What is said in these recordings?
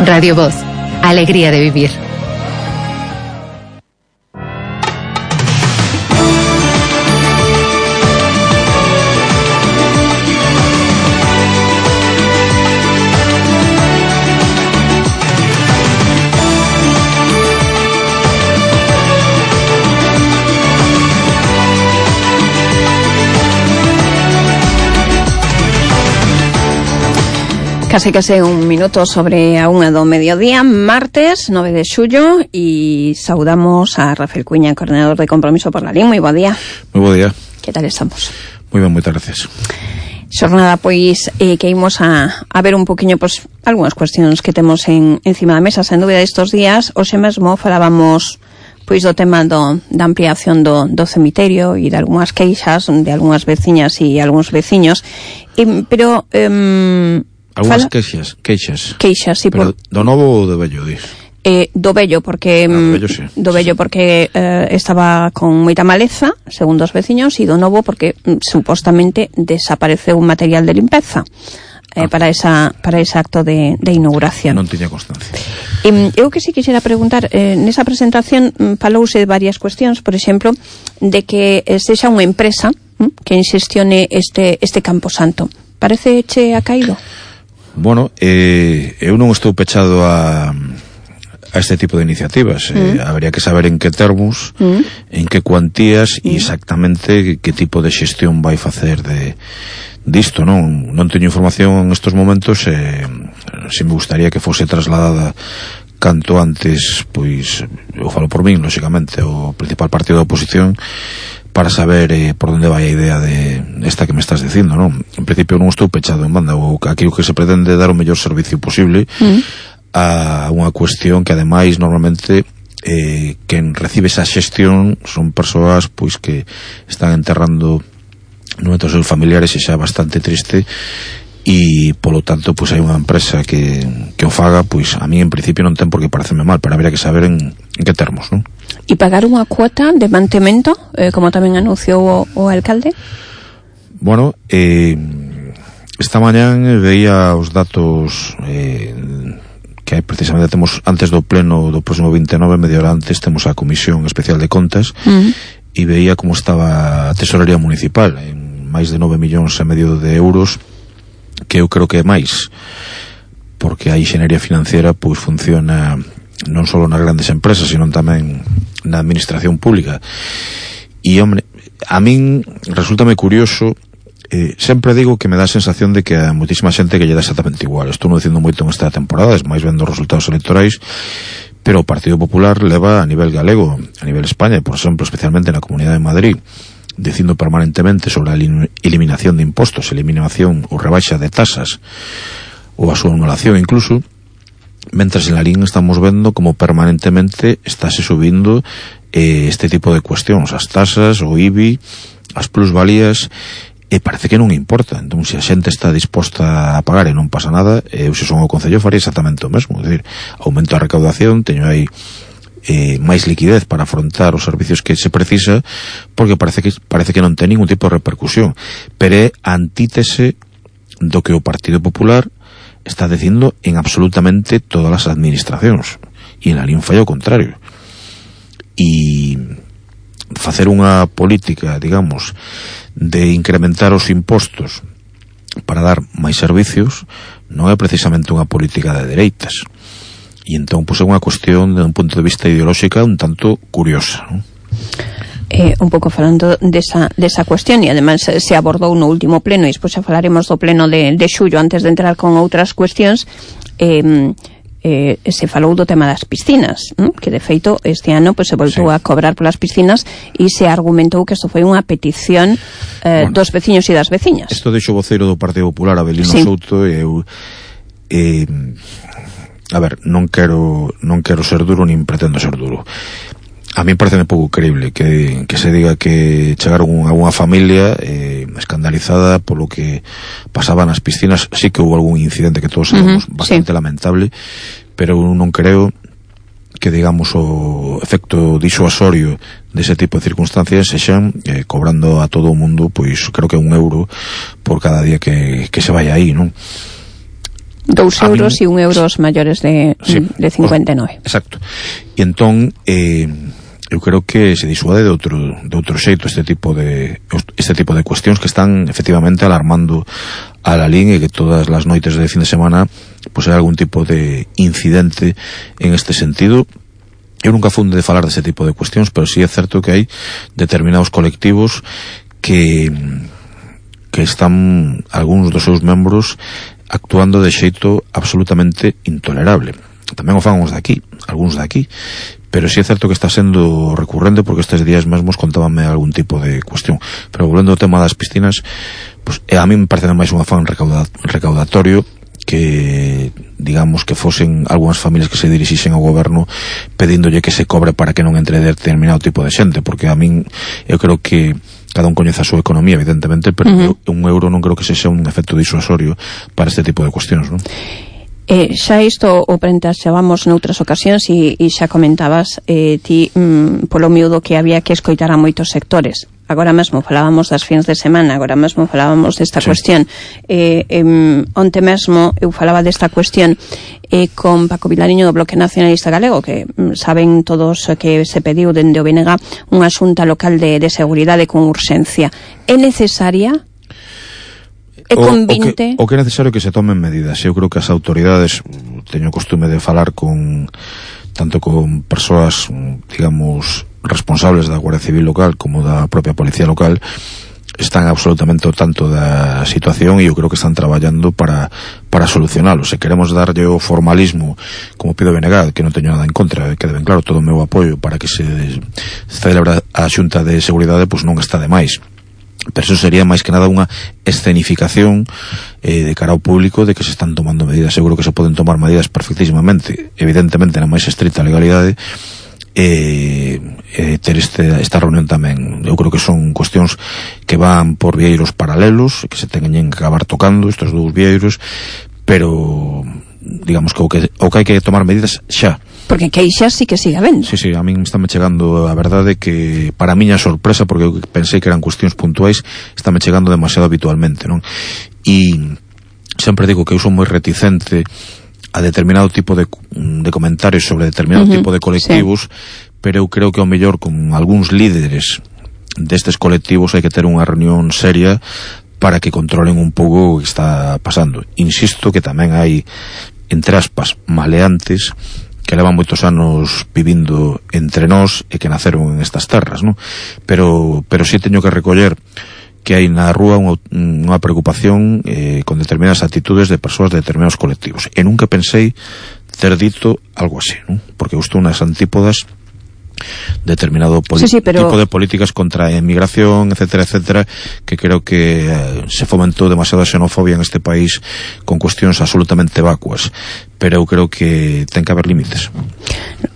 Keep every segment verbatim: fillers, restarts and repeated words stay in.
Radio Voz, alegría de vivir. Case case un minuto sobre a unha do mediodía, martes nove de xullo, e saudamos a Rafael Cuña, coordinador de Compromiso por la Lin. Moi bo día. Moi bo día. Que tal estamos? Moi ben, moitas gracias. Xornada, pois, eh, que imos a, a ver un poquinho, pois, algunhas cuestións que temos en, encima da mesa, sen dúbida, estes días. Hoxe mesmo falábamos pois do tema do, da ampliación do, do cemiterio e de algunhas queixas de algunhas veciñas e algúns veciños, e, pero... Eh, Algúnas queixas, queixas. Queixas, sí. Pero por... do novo ou do vello, dis? Eh, do vello, porque... Ah, do vello, sí. Do vello, porque eh, estaba con moita maleza, segundo os veciños, e do novo, porque mm, supostamente desapareceu un material de limpeza eh, ah. para esa para ese acto de, de inauguración. Non tiña constancia. E, eu que si quixera preguntar, eh, nesa presentación mm, falouse de varias cuestións, por exemplo, de que eh, sexa unha empresa mm, que xestione este, este camposanto. Parece che ha caído? Bueno, eh, eu non estou pechado a, a este tipo de iniciativas. Mm. Eh, habría que saber en que termos, mm. en que cuantías e mm. exactamente que tipo de xestión vai facer de disto, non? Non teño información en estos momentos, eh, se me gustaría que fose trasladada canto antes, pois, eu falo por min, lóxicamente, o principal partido da oposición, para saber eh, por onde vai a idea de esta que me estás dicindo, non? En principio non estou pechado en banda, o aquí o que se pretende dar o mellor servicio posible mm. a unha cuestión que ademais normalmente eh, quen recibe esa xestión son persoas pois que están enterrando nuestros seus familiares e xa bastante triste, e polo tanto pois hai unha empresa que, que o faga, pois a mí en principio non ten por que parecerme mal, pero habría que saber en, en que termos, non? E pagar unha cuota de mantemento, eh, como tamén anunciou o, o alcalde? Bueno, eh, esta mañán veía os datos eh, que precisamente temos antes do pleno do próximo vinte e nove, media hora antes, temos a Comisión Especial de Contas, uh-huh. e veía como estaba a Tesorería Municipal en máis de nove millóns e medio de euros, que eu creo que é máis, porque a inxeniería financiera pois funciona non só nas grandes empresas, sino tamén na administración pública. E, hombre, a min resultame curioso, eh, sempre digo que me dá a sensación de que a moitísima xente que lle dá exactamente igual. Estou non dicindo moito en esta temporada, es máis vendo os resultados electorais, pero o Partido Popular leva a nivel galego, a nivel España, por exemplo, especialmente na Comunidade de Madrid, dicindo permanentemente sobre a eliminación de impostos, eliminación ou rebaixa de tasas, ou a súa anulación incluso, mentras en la Lin estamos vendo como permanentemente estáse subindo eh, este tipo de cuestións, as tasas, o I B I, as plusvalías, e parece que non importa. Entón, se a xente está disposta a pagar e non pasa nada, eu se son o Concello faría exactamente o mesmo, é dicir, aumento a recaudación, teño aí eh, máis liquidez para afrontar os servicios que se precisa, porque parece que parece que non ten ningún tipo de repercusión, pero é antítese do que o Partido Popular está dicindo en absolutamente todas as administracións, e en la Lin fai o contrario. E facer unha política, digamos, de incrementar os impostos para dar máis servicios non é precisamente unha política de dereitas, e entón pois é unha cuestión de un punto de vista ideolóxica un tanto curiosa, non? Eh, un pouco falando desa, desa cuestión, e ademais se abordou no último pleno, e despois xa falaremos do pleno de, de xullo antes de entrar con outras cuestións, eh, eh, se falou do tema das piscinas, ¿no? Que de feito este ano pues, se voltou sí. a cobrar polas piscinas, e se argumentou que isto foi unha petición eh, bueno, dos veciños e das veciñas. Isto deixo o voceiro do Partido Popular, Abelino sí. Souto, e eu eh, a ver, non quero non quero ser duro nin pretendo ser duro. A mí parece un pouco creíble que, que se diga que chegaron a unha familia eh, escandalizada polo que pasaba nas piscinas. Sí que houve algún incidente que todos sabemos, uh-huh, bastante sí. lamentable, pero non creo que, digamos, o efecto disuasorio dese tipo de circunstancias sexan eh, cobrando a todo o mundo, pois creo que un euro por cada día que, que se vaya aí, non? Dous euros e un euros maiores de, sí, de cincuenta e nove. Exacto. E entón, eh, eu creo que se disuade de outro, de outro xeito este tipo de este tipo de cuestións que están efectivamente alarmando a Lalín, e que todas as noites de fin de semana pois hai algún tipo de incidente en este sentido. Eu nunca funde de falar dese tipo de cuestións, pero sí é certo que hai determinados colectivos que que están algúns dos seus membros actuando de xeito absolutamente intolerable. Tamén o fan os de aquí, algúns de aquí, pero sí é certo que está sendo recurrente, porque estes días mesmos contábanme algún tipo de cuestión. Pero volvendo ao tema das piscinas, pues, a mí me parece máis un afán recauda, recaudatorio que, digamos, que fosen algunhas familias que se dirixisen ao goberno pedíndolle que se cobre para que non entre determinado tipo de xente, porque a min, eu creo que cada un coñece a súa economía, evidentemente, pero uh-huh. un euro non creo que sexa un efecto disuasorio para este tipo de cuestións, non? Eh, xa isto o prentaxábamos noutras ocasións e, e xa comentabas eh, ti mm, polo miúdo que había que escoitar a moitos sectores. Agora mesmo falábamos das fins de semana, agora mesmo falábamos desta sí. cuestión. Eh, eh, onte mesmo eu falaba desta cuestión eh, con Paco Vilariño do Bloque Nacionalista Galego, que mm, saben todos que se pediu dende o B N G unha xunta local de, de seguridade con urxencia. É necesaria? É convinte? O, o, que, o que é necesario que se tomen medidas. Eu creo que as autoridades, teño costume de falar con tanto con persoas, digamos, responsables da Guardia Civil local como da propia Policía local, están absolutamente ao tanto da situación, e eu creo que están traballando para para solucionalo. Se queremos darlle o formalismo, como pido B N G, que non teño nada en contra, quede ben claro, todo o meu apoio para que se celebre a Xunta de Seguridade, pois non está de máis. Pero eso sería máis que nada unha escenificación eh, de cara ao público de que se están tomando medidas. Seguro que se poden tomar medidas perfectísimamente, evidentemente na máis estricta legalidade, e eh, ter este, esta reunión tamén. Eu creo que son cuestións que van por vieiros paralelos, que se teñen que acabar tocando estes dous vieiros, pero digamos que o que, o que hai que tomar medidas xa. Porque queixas sí que siga vendo. Sí, sí, a min está me chegando a verdade que, para miña sorpresa, porque eu pensei que eran cuestións puntuais, está me chegando demasiado habitualmente, non? E sempre digo que eu son moi reticente a determinado tipo de, de comentarios sobre determinado uh-huh, tipo de colectivos, sí. Pero eu creo que ao mellor con algúns líderes destes colectivos hai que ter unha reunión seria para que controlen un pouco o que está pasando. Insisto que tamén hai, entre aspas, maleantes que levan moitos anos vivindo entre nós e que naceron en estas terras, non? Pero, pero sí teño que recoller que hai na rúa unha, unha preocupación eh, con determinadas actitudes de persoas de determinados colectivos. E nunca pensei ter dito algo así, non? Porque eu estou nas antípodas determinado sí, sí, pero... tipo de políticas contra a emigración, etcétera, etcétera, que creo que eh, se fomentou demasiada xenofobia en este país con cuestións absolutamente vacuas, pero eu creo que ten que haber límites.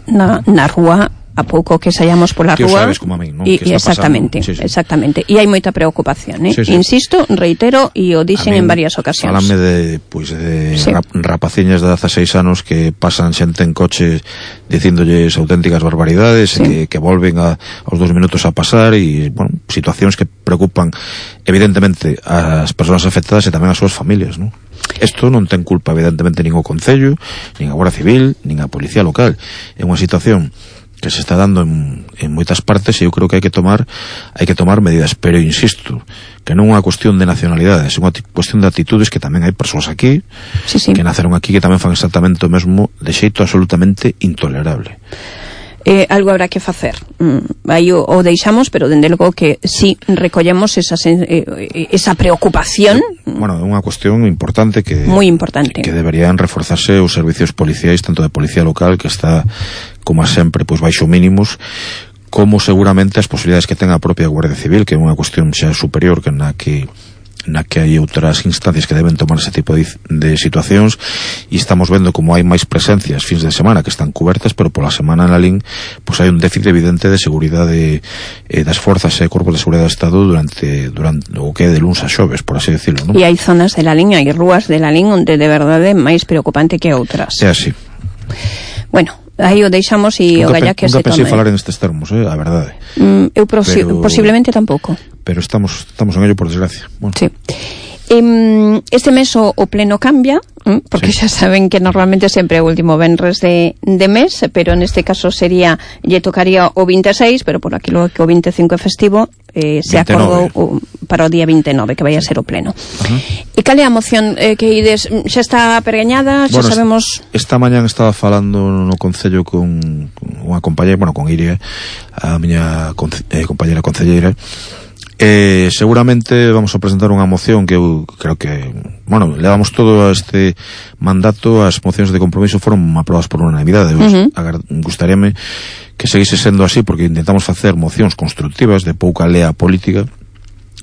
Na, na rúa, a pouco que saíamos pola que rúa, sabes como a min, non? E, exactamente, sí, sí. exactamente. E hai moita preocupación, eh? Sí, sí. Insisto, reitero, e o dixen en varias ocasións. Falame de, pois, de sí. rap, rapaciñas de dezaseis anos que pasan xente en coche dicíndolles auténticas barbaridades, sí. e que, que volven a, aos dos minutos a pasar, e, bueno, situacións que preocupan evidentemente as persoas afectadas e tamén as súas familias, non? Isto non ten culpa evidentemente nin o Concello, nin a Guardia Civil, nin a Policía local. É unha situación que se está dando en, en moitas partes, e eu creo que hai que tomar hai que tomar medidas, pero insisto que non é unha cuestión de nacionalidades, é unha cuestión de actitudes, que tamén hai persoas aquí sí, sí. que naceron aquí que tamén fan exactamente o mesmo de xeito absolutamente intolerable. Eh, algo habrá que facer. Mm, aí o, o deixamos, pero dende logo que si sí, recollemos esa, eh, esa preocupación. Bueno, é unha cuestión importante que moi importante que deberían reforzarse os servicios policiais, tanto de policía local, que está como sempre pois baixo mínimos, como seguramente as posibilidades que ten a propia Guardia Civil, que é unha cuestión xa superior que na que na que hai outras instancias que deben tomar ese tipo de, de situacións, e estamos vendo como hai máis presencias fins de semana que están cubertas, pero pola semana na Lalín pois hai un déficit evidente de seguridade eh, das forzas e corpos de seguridade do Estado durante, durante o que é de luns a xoves, por así decirlo, non? E hai zonas de Lalín, hai rúas de Lalín onde de verdade é máis preocupante que outras. É así. Bueno, aí o deixamos e o galla que se tome. Nunca pensei falar en estes termos, eh, a verdade. Mm, eu posi- pero, posiblemente tampouco. Pero estamos estamos en ello, por desgracia. Bueno. Sí. Eh, este mes o, o pleno cambia, eh, porque sí. Xa saben que normalmente sempre é o último venres de, de mes, pero neste caso sería, lle tocaría o veintiséis, pero por aquilo que o veinticinco é festivo, eh, se acordou o, para o día veintinueve, que vai a ser o pleno. Uh-huh. E cal é a moción eh, que ides? Xa está pergañada? Xa bueno, sabemos... Esta mañán estaba falando no Concello con, con unha compañera, bueno, con Iria, a miña conce, eh, compañera concelleira. Eh, seguramente vamos a presentar unha moción que eu creo que, bueno, le damos todo a este mandato, as mocións de compromiso foron aprobadas por unanimidade. Uh-huh. Gustaríame que seguise sendo así, porque intentamos facer mocións constructivas de pouca lea política.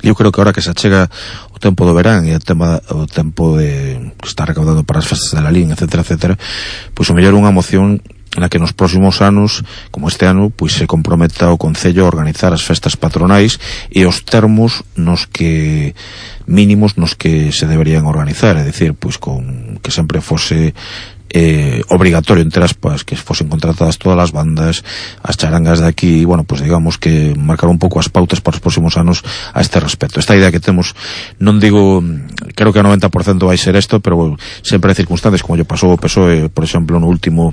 Eu creo que ahora que se achega o tempo do verán e o, tema, o tempo de que está recaudado para as festas de la Lín, etcétera, etcétera, pois o mellor unha moción na que nos próximos anos, como este ano, pois se comprometa o Concello a organizar as festas patronais e os termos nos que mínimos nos que se deberían organizar, é dicir, pois con que sempre fose eh, obrigatorio, entre aspas, que fosen contratadas todas as bandas, as charangas de aquí, bueno, pues digamos que marcar un pouco as pautas para os próximos anos a este respecto. Esta idea que temos, non digo, creo que a noventa por cento vai ser isto, pero sempre hai circunstancias, como lle pasou o P S O E, por exemplo, no último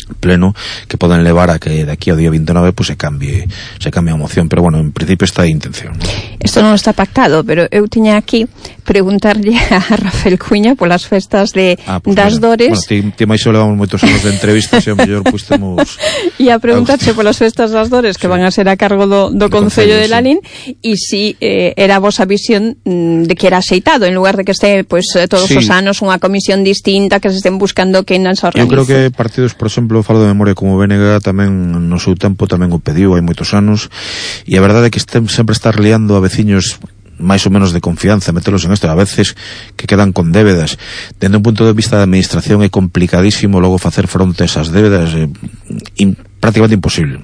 pleno, que poden levar a que de aquí ao día veintinueve pues se cambie se cambie a moción, pero bueno, en principio está a intención. Isto non está pactado, pero eu tiña aquí preguntarlle a Rafael Cuña polas festas de ah, pues das mira, Dores. Bueno, ti, ti máis levamos moitos anos de entrevistas e ao mellor pois temos e a preguntarche polas festas das Dores que sí. van a ser a cargo do, do Concello de Lalín sí. e si eh, era a vosa visión mm, de que era aceitado en lugar de que este pois pues, todos sí. os anos unha comisión distinta que se estén buscando que non se organice. Eu creo que partidos, por exemplo, falo de memoria como B N G tamén no seu tempo tamén o pediu hai moitos anos, e a verdade é que este, sempre estar liando a veciños máis ou menos de confianza, metelos en isto, a veces que quedan con débedas. Dende un punto de vista da administración é complicadísimo logo facer fronte a esas débedas, é in, prácticamente imposible.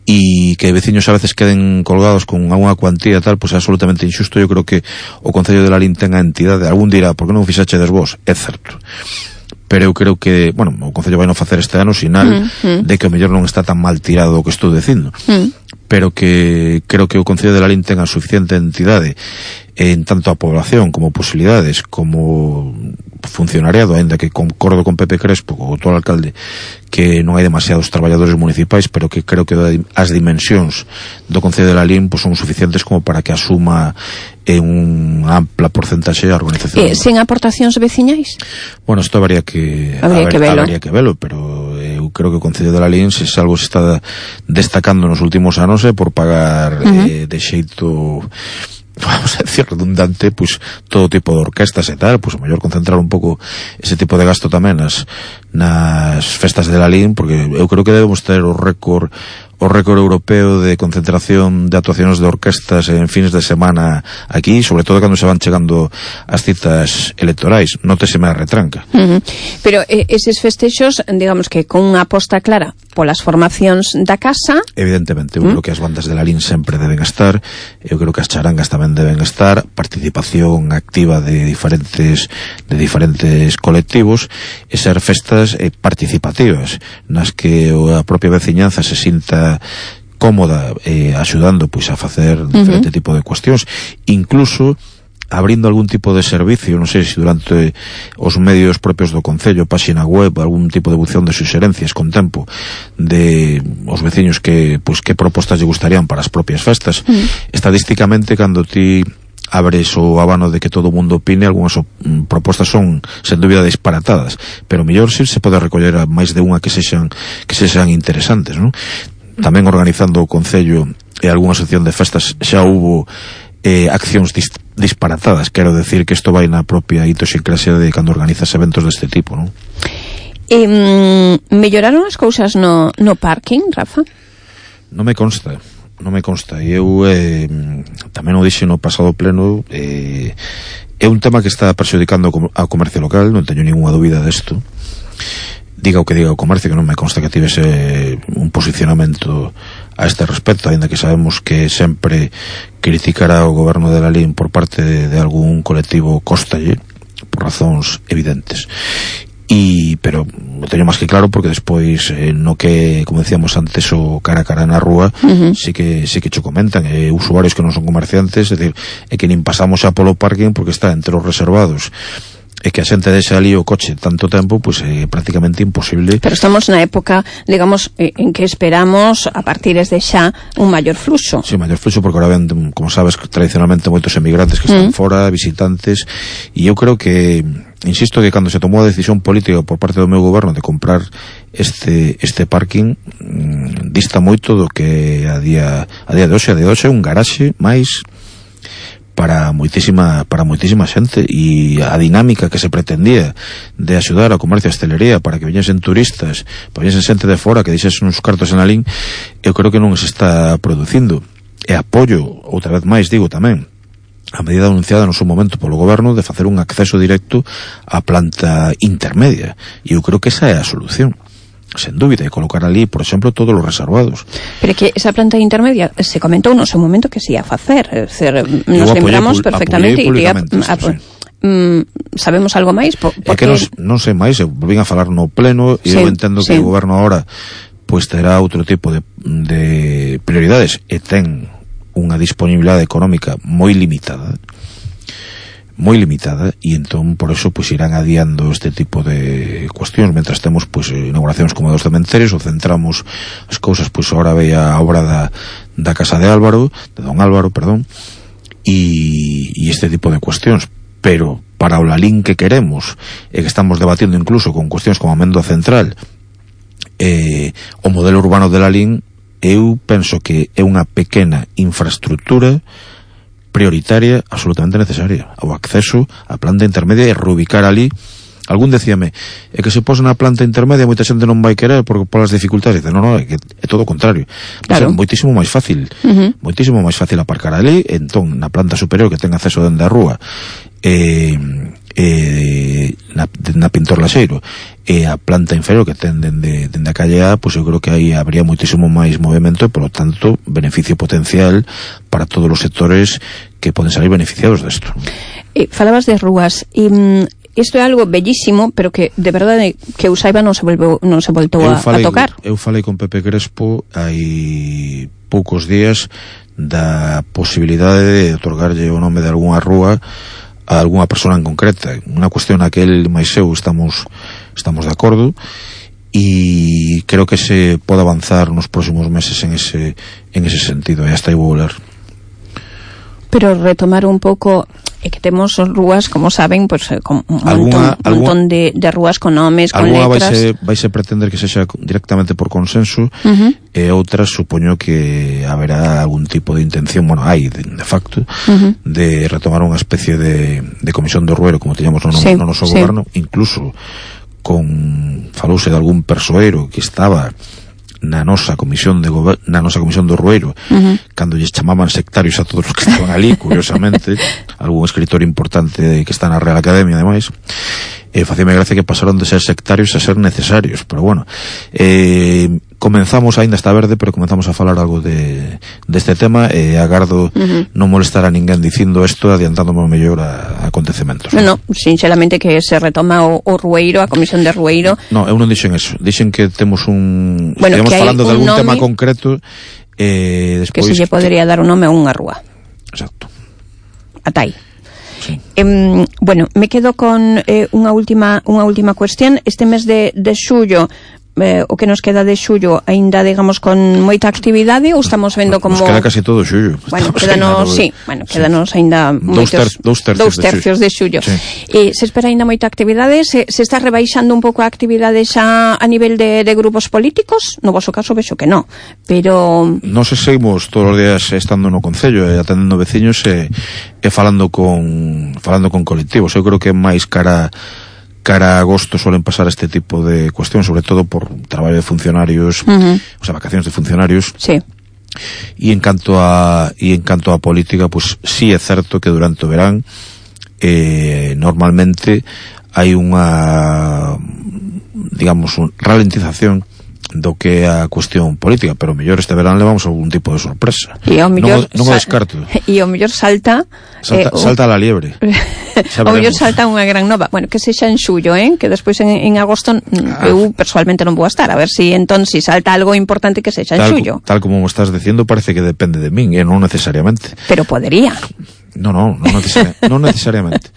E que veciños a veces queden colgados con alguna cuantía tal, pois é absolutamente injusto. Eu creo que o Concello de Lalín ten a entidade, algún dirá, por que non fixachedes vos? É certo. Pero eu creo que, bueno, o Concello vai non facer este ano sinal mm, mm. de que o mellor non está tan mal tirado o que estou dicindo. Mm. Pero que creo que o Concello de Lalín ten a suficiente entidade en tanto a población como posibilidades como funcionariado, ainda que concordo con Pepe Crespo, o todo alcalde, que non hai demasiados traballadores municipais, pero que creo que as dimensións do Concello de Lalín pues, son suficientes como para que asuma en unha ampla porcentaxe a organización. Eh, sen aportacións veciñais? Bueno, isto habría que habría, haber, que velo. habría que velo, pero eu creo que o Concello de Lalín, se algo se está destacando nos últimos anos é por pagar uh-huh. eh, de xeito, vamos a decir, redundante, pues todo tipo de orquestas e tal, pues a mellor concentrar un pouco ese tipo de gasto tamén nas, nas festas de Lalín, porque eu creo que debemos ter o récord o récord europeo de concentración de actuacións de orquestas en fines de semana aquí, sobre todo cando se van chegando as citas electorais. Nóteseme a retranca. Uh-huh. Pero eh, eses festexos, digamos que con unha aposta clara polas formacións da casa. Evidentemente, eu uh-huh. creo que as bandas de Lalín sempre deben estar, eu creo que as charangas tamén deben estar, participación activa de diferentes de diferentes colectivos, e ser festas eh, participativas, nas que a propia veciñanza se sinta cómoda eh, axudando pois a facer diferente uh-huh. tipo de cuestións, incluso abrindo algún tipo de servicio, non sei se durante os medios propios do Concello, páxina web, algún tipo de bución de suxerencias con tempo de os veciños que pois que propostas lle gustarían para as propias festas. Uh-huh. Estadísticamente, cando ti abres o abano de que todo o mundo opine, algunhas mm, propostas son sen dúbida disparatadas, pero mellor si se pode recoller a máis de unha que sexan que sexan interesantes, non? Tamén organizando o Concello e algunha sección de festas xa hubo eh, accións dis disparatadas, quero decir que isto vai na propia idiosincrasia de cando organizas eventos deste tipo, non? Eh, melloraron as cousas no, no parking, Rafa? Non me consta non me consta, e eu eh, tamén o dixo no pasado pleno, eh, é un tema que está perxudicando ao comercio local, non teño ninguna dúbida desto, diga o que diga o comercio, que non me consta que tivese un posicionamento a este respecto, ainda que sabemos que sempre criticará o goberno de Lalín por parte de, de algún colectivo costalle, por razóns evidentes. e pero o teño máis que claro porque despois eh, no que, como decíamos antes, o cara a cara na rúa, uh-huh. sí que sí que cho comentan, eh, usuarios que non son comerciantes, é dicir, é que nin pasamos xa polo parking porque está entre os reservados, e que a xente deixa ali o coche tanto tempo, pois pues, é prácticamente imposible. Pero estamos na época, digamos, en que esperamos a partir de xa un maior fluxo. Sí, maior fluxo, porque ahora ven, como sabes, tradicionalmente moitos emigrantes que están mm. fora, visitantes, e eu creo que, insisto, que cando se tomou a decisión política por parte do meu goberno de comprar este este parking, mmm, dista moito do que a día a día de hoxe, a día de hoxe é un garaxe máis para moitísima para moitísima xente, e a dinámica que se pretendía de axudar ao comercio e a hostelería para que viñesen turistas, para que viñesen xente de fora que dixesen uns cartos en Alín, eu creo que non se está producindo. E apoio, outra vez máis digo tamén, a medida anunciada no seu momento polo goberno de facer un acceso directo á planta intermedia, e eu creo que esa é a solución, sen dúbida, e colocar ali, por exemplo, todos os reservados. Pero que esa planta intermedia se comentou no seu momento que se ia facer, é dicir, nos lembramos perfectamente e iría, sí. mm, sabemos algo máis? Por, porque... É que non, non sei máis, eu volvín a falar no pleno e sí, eu entendo sí. que o goberno agora pois terá outro tipo de, de prioridades e ten unha disponibilidade económica moi limitada, moi limitada, e entón por eso pois irán adiando este tipo de cuestións mentras temos pois inauguracións como dos cementerios, ou centramos as cousas, pois agora veía a obra da, da casa de Álvaro, de Don Álvaro, perdón, e, e este tipo de cuestións. Pero para o Lalín que queremos, e que estamos debatindo incluso con cuestións como a Mendo Central, eh, o modelo urbano de Lalín, eu penso que é unha pequena infraestructura prioritaria, absolutamente necesaria, o acceso á planta intermedia e reubicar ali. Algún decíame, é que se pos na planta intermedia moita xente non vai querer por, por as dificultades. Dice, non, non, é que é todo o contrario. Claro. É moitísimo máis fácil, uh-huh. moitísimo máis fácil aparcar ali, entón na planta superior que ten acceso dende a rúa, eh, eh, na, na Pintor Laxeiro, e a planta inferior que ten dende, dende a calle A, pois eu creo que aí habría moitísimo máis movimento e, polo tanto, beneficio potencial para todos os sectores que poden salir beneficiados desto. Eh, falabas de rúas, e isto é algo bellísimo, pero que de verdade que eu saiba non se volveu, non se voltou a, falei, a tocar. Eu falei con Pepe Crespo hai poucos días da posibilidade de otorgarlle o nome de algunha rúa a algunha persona en concreta, unha cuestión na que el máis eu estamos estamos de acordo, e creo que se pode avanzar nos próximos meses en ese en ese sentido, e hasta aí vou ler. Pero retomar un pouco, é que temos rúas, como saben, pues, con un alguna, montón, alguna, montón de, de rúas con nomes, con letras. Vai se, vai se pretender que sexa directamente por consenso, uh-huh. e outras supoño que haberá algún tipo de intención, bueno, hai de, de facto, uh-huh. de retomar unha especie de, de comisión do rueiro, como teñamos no, sí, no noso sí. goberno, incluso con falouse de algún persoeiro que estaba na nosa comisión de gober- na nosa comisión do Rueiro, uh-huh. cando lles chamaban sectarios a todos os que estaban ali, curiosamente, algún escritor importante que está na Real Academia, ademais, e eh, facíame gracia que pasaron de ser sectarios a ser necesarios, pero bueno, eh, comenzamos, aínda está verde, pero comenzamos a falar algo de deste tema, e eh, agardo uh-huh. non molestar a ninguén dicindo isto, adiantándome mellor a, a acontecementos. Non, no, sinceramente que se retoma o, o Rueiro, a comisión de Rueiro. No, eu non dixen eso, dixen que temos un, bueno, estamos falando de algún nome, tema concreto, eh, despois que se lle podería que... dar un nome a unha rúa. Exacto. Ata aí. Sí. Eh, bueno, me quedo con eh, unha última unha última cuestión. Este mes de, de xullo, eh, o que nos queda de xullo, aínda, digamos, con moita actividade, ou estamos vendo como... Nos queda casi todo xullo. Bueno, quedanos, sí, bueno, quedanos sí. aínda moitos... Ter, dous tercios, dous tercios de xullo. Sí. E se espera aínda moita actividade, se, se está rebaixando un pouco a actividade xa a nivel de, de grupos políticos? No vosso caso vexo que non, pero... Nos seguimos todos os días estando no Concello e atendendo veciños e, e falando con falando con colectivos. Eu creo que máis cara cara a agosto suelen pasar este tipo de cuestións, sobre todo por traballo de funcionarios, uh-huh. o sea, vacacións de funcionarios. Sí. E en canto a e en canto a política, pues sí é certo que durante o verán eh, normalmente hai unha, digamos, un ralentización do que é a cuestión política, pero mellor este verán levamos algún tipo de sorpresa. E ao mellor non, non o descarto. E ao mellor salta salta, eh, salta a la liebre. Ao mellor salta unha gran nova. Bueno, que sexa en xullo, eh, que despois en, en agosto ah. eu personalmente non vou a estar, a ver si entón si salta algo importante que sexa en tal, xullo. Tal como me estás dicindo, parece que depende de min, e eh, non necesariamente. Pero podería. No, no, non, necesari non necesariamente.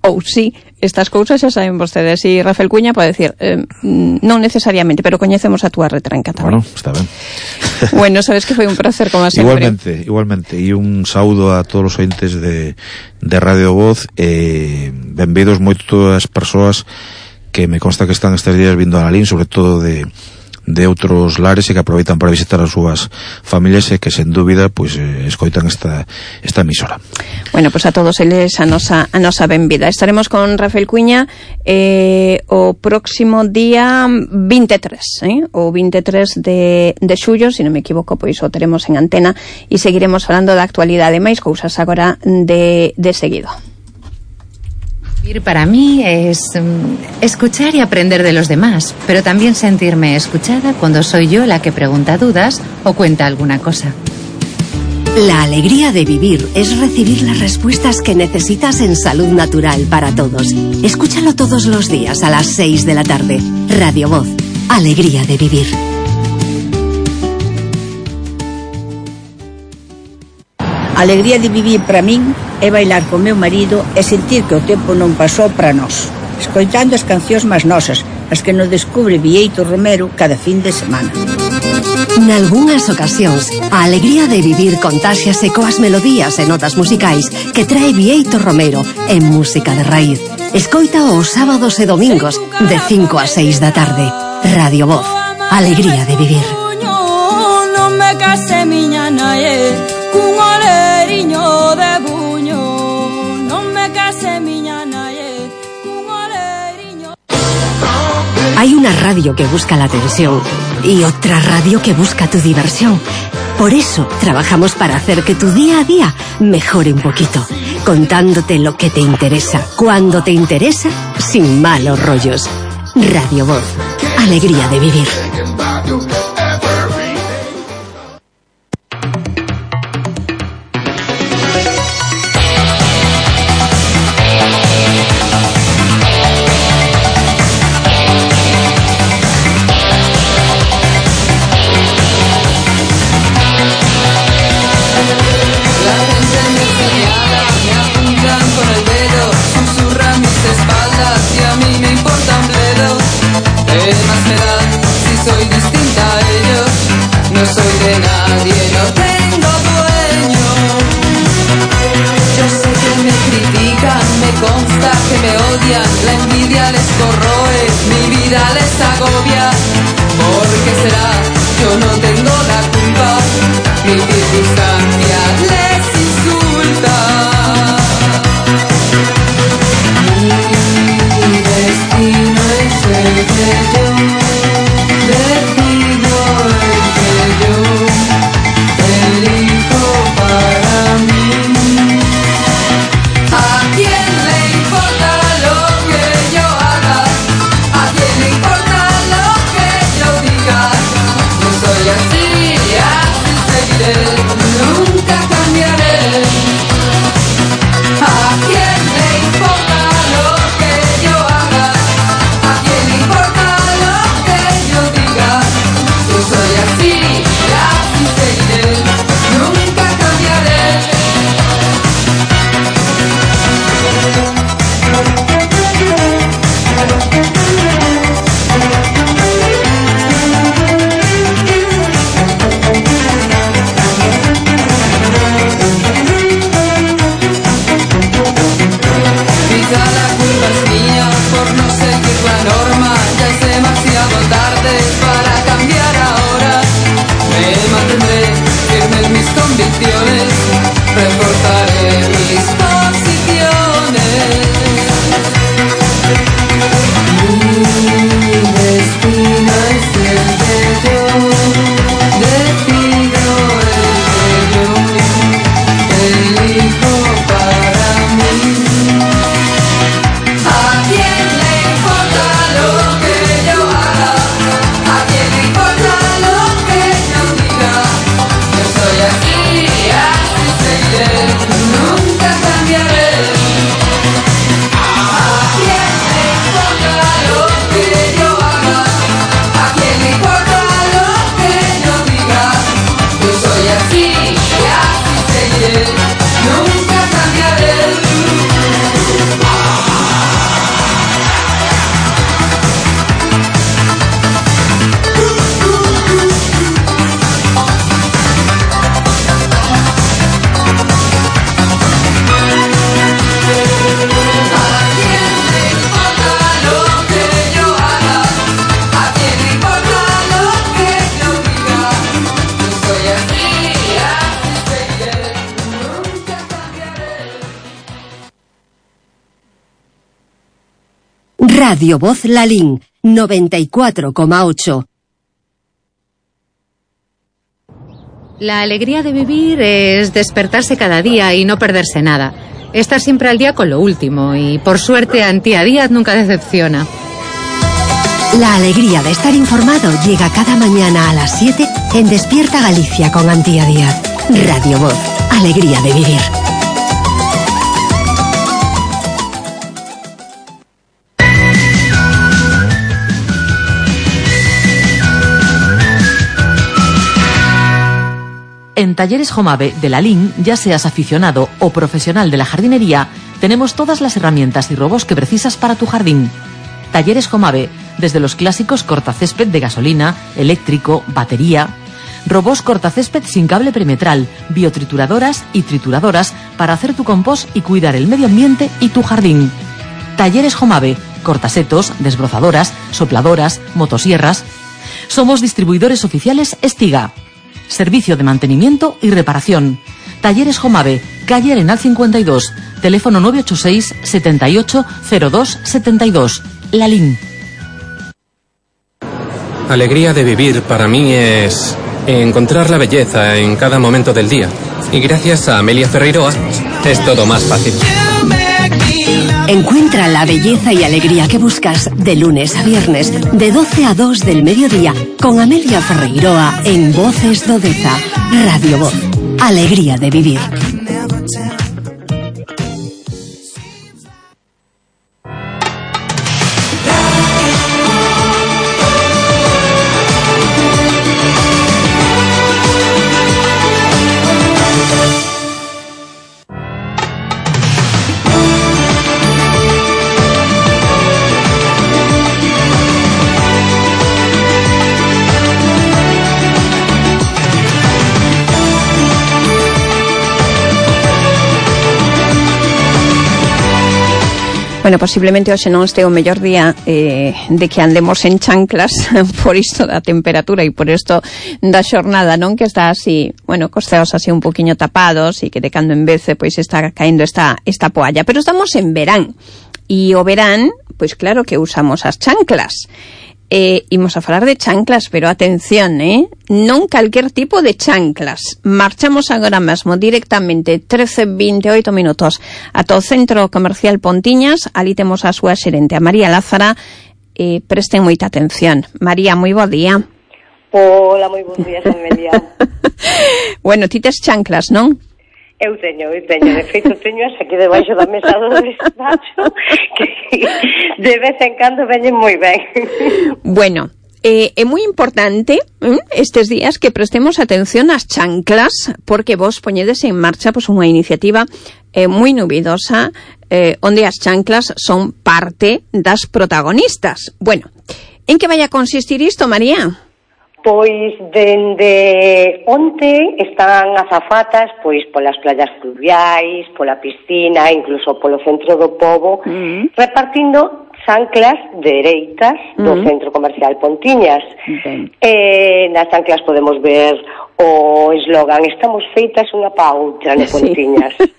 Ou sí, estas cousas xa saben vostedes. E Rafael Cuña pode decir, eh, non necesariamente, pero coñecemos a túa retranca tamén. Bueno, está ben. Bueno, sabes que foi un placer como sempre. Igualmente, igualmente. E un saúdo a todos os ointes de, de Radio Voz. Eh, benvidos moito as persoas que me consta que están estes días vindo a Lalín, sobre todo de de outros lares e que aproveitan para visitar as súas familias e que sen dúbida pois eh, escoitan esta esta emisora. Bueno, pois pues a todos eles a nosa a nosa benvida. Estaremos con Rafael Cuña eh, o próximo día vinte e tres, eh? o vinte e tres de, de xullo, se non me equivoco, pois o teremos en antena e seguiremos falando da actualidade. Máis cousas agora de, de seguido. Vivir para mí es um, escuchar y aprender de los demás, pero también sentirme escuchada cuando soy yo la que pregunta dudas o cuenta alguna cosa. La alegría de vivir es recibir las respuestas que necesitas en Salud Natural para Todos. Escúchalo todos los días a las seis de la tarde. Radio Voz, alegría de vivir. A alegría de vivir para min é bailar co meu marido e sentir que o tempo non pasou para nós, escoitando as cancións máis nosas, as que nos descubre Bieito Romero cada fin de semana. Nalgúnas ocasións, a alegría de vivir contáxiase coas melodías e notas musicais que trae Bieito Romero en Música de Raíz. Escoita os sábados e domingos de cinco a seis da tarde. Radio Voz, alegría de vivir. Non me case miña nae, cun oleriño de buño. Non me case miña nae, cun oleriño. Hay una radio que busca la atención y otra radio que busca tu diversión. Por eso trabajamos para hacer que tu día a día mejore un poquito, contándote lo que te interesa, cuando te interesa, sin malos rollos. Radio Voz, alegría de vivir. La envidia les corroe, mi vida les agobia. ¿Por qué será? Yo no tengo la culpa. Mi circunstancia les insulta. Mi destino es el que yo decido, el que yo elijo para mí. ¿A quién le importa lo que yo haga? ¿A quién le importa lo que yo diga? No soy así, así seguiré, nunca cambiaré. Radio Voz Lalín, noventa y cuatro coma ocho. La alegría de vivir es despertarse cada día y no perderse nada. Estar siempre al día con lo último y, por suerte, Antía Díaz nunca decepciona. La alegría de estar informado llega cada mañana a las siete en Despierta Galicia con Antía Díaz. Radio Voz, alegría de vivir. En Talleres Jomave de Lalín, ya seas aficionado o profesional de la jardinería, tenemos todas las herramientas y robots que precisas para tu jardín. Talleres Jomave, desde los clásicos cortacésped de gasolina, eléctrico, batería, robots cortacésped sin cable perimetral, biotrituradoras y trituradoras para hacer tu compost y cuidar el medio ambiente y tu jardín. Talleres Jomave, cortasetos, desbrozadoras, sopladoras, motosierras. Somos distribuidores oficiales Estiga. Servicio de mantenimiento y reparación. Talleres Jomave, calle Arenal cincuenta y dos, teléfono nueve ocho seis, setenta y ocho, cero dos, setenta y dos. Lalín. Alegría de vivir para mí es encontrar la belleza en cada momento del día. Y gracias a Amelia Ferreiroa es todo más fácil. Encuentra la belleza y alegría que buscas de lunes a viernes, de doce a dos del mediodía, con Amelia Ferreiroa en Voces do Deza. Radio Voz, alegría de vivir. Bueno, posiblemente hoxe non este o mellor día eh, de que andemos en chanclas por isto da temperatura e por isto da xornada, non? Que está así, bueno, cos ceos así un poquinho tapados e que de cando en vez pois está caendo esta, esta poalla. Pero estamos en verán e o verán, pois claro que usamos as chanclas. Eh, imos a falar de chanclas, pero atención, eh? Non calquer tipo de chanclas. Marchamos agora mesmo directamente trece veintioito minutos ata o Centro Comercial Pontiñas. Ali temos a súa xerente, a María Lázara. Eh, presten moita atención. María, moi bo día. Hola, moi bons días, Amelia. Bueno, ti tes chanclas, non? Eu teño, eu teño, de feito teño as aquí debaixo da mesa do despacho que de vez en cando veñen moi ben. Bueno, eh, é moi importante eh, estes días que prestemos atención ás chanclas, porque vos poñedes en marcha pois, unha iniciativa eh, moi novidosa eh, onde as chanclas son parte das protagonistas. Bueno, en que vai a consistir isto, María? Pois dende onte están azafatas pois polas playas fluviais, pola piscina, incluso polo centro do pobo, uh-huh. repartindo chanclas dereitas do uh-huh. Centro Comercial Pontiñas. Uh-huh. Eh, nas chanclas podemos ver o eslogan "Estamos feitas unha pa outra no Pontiñas". Sí.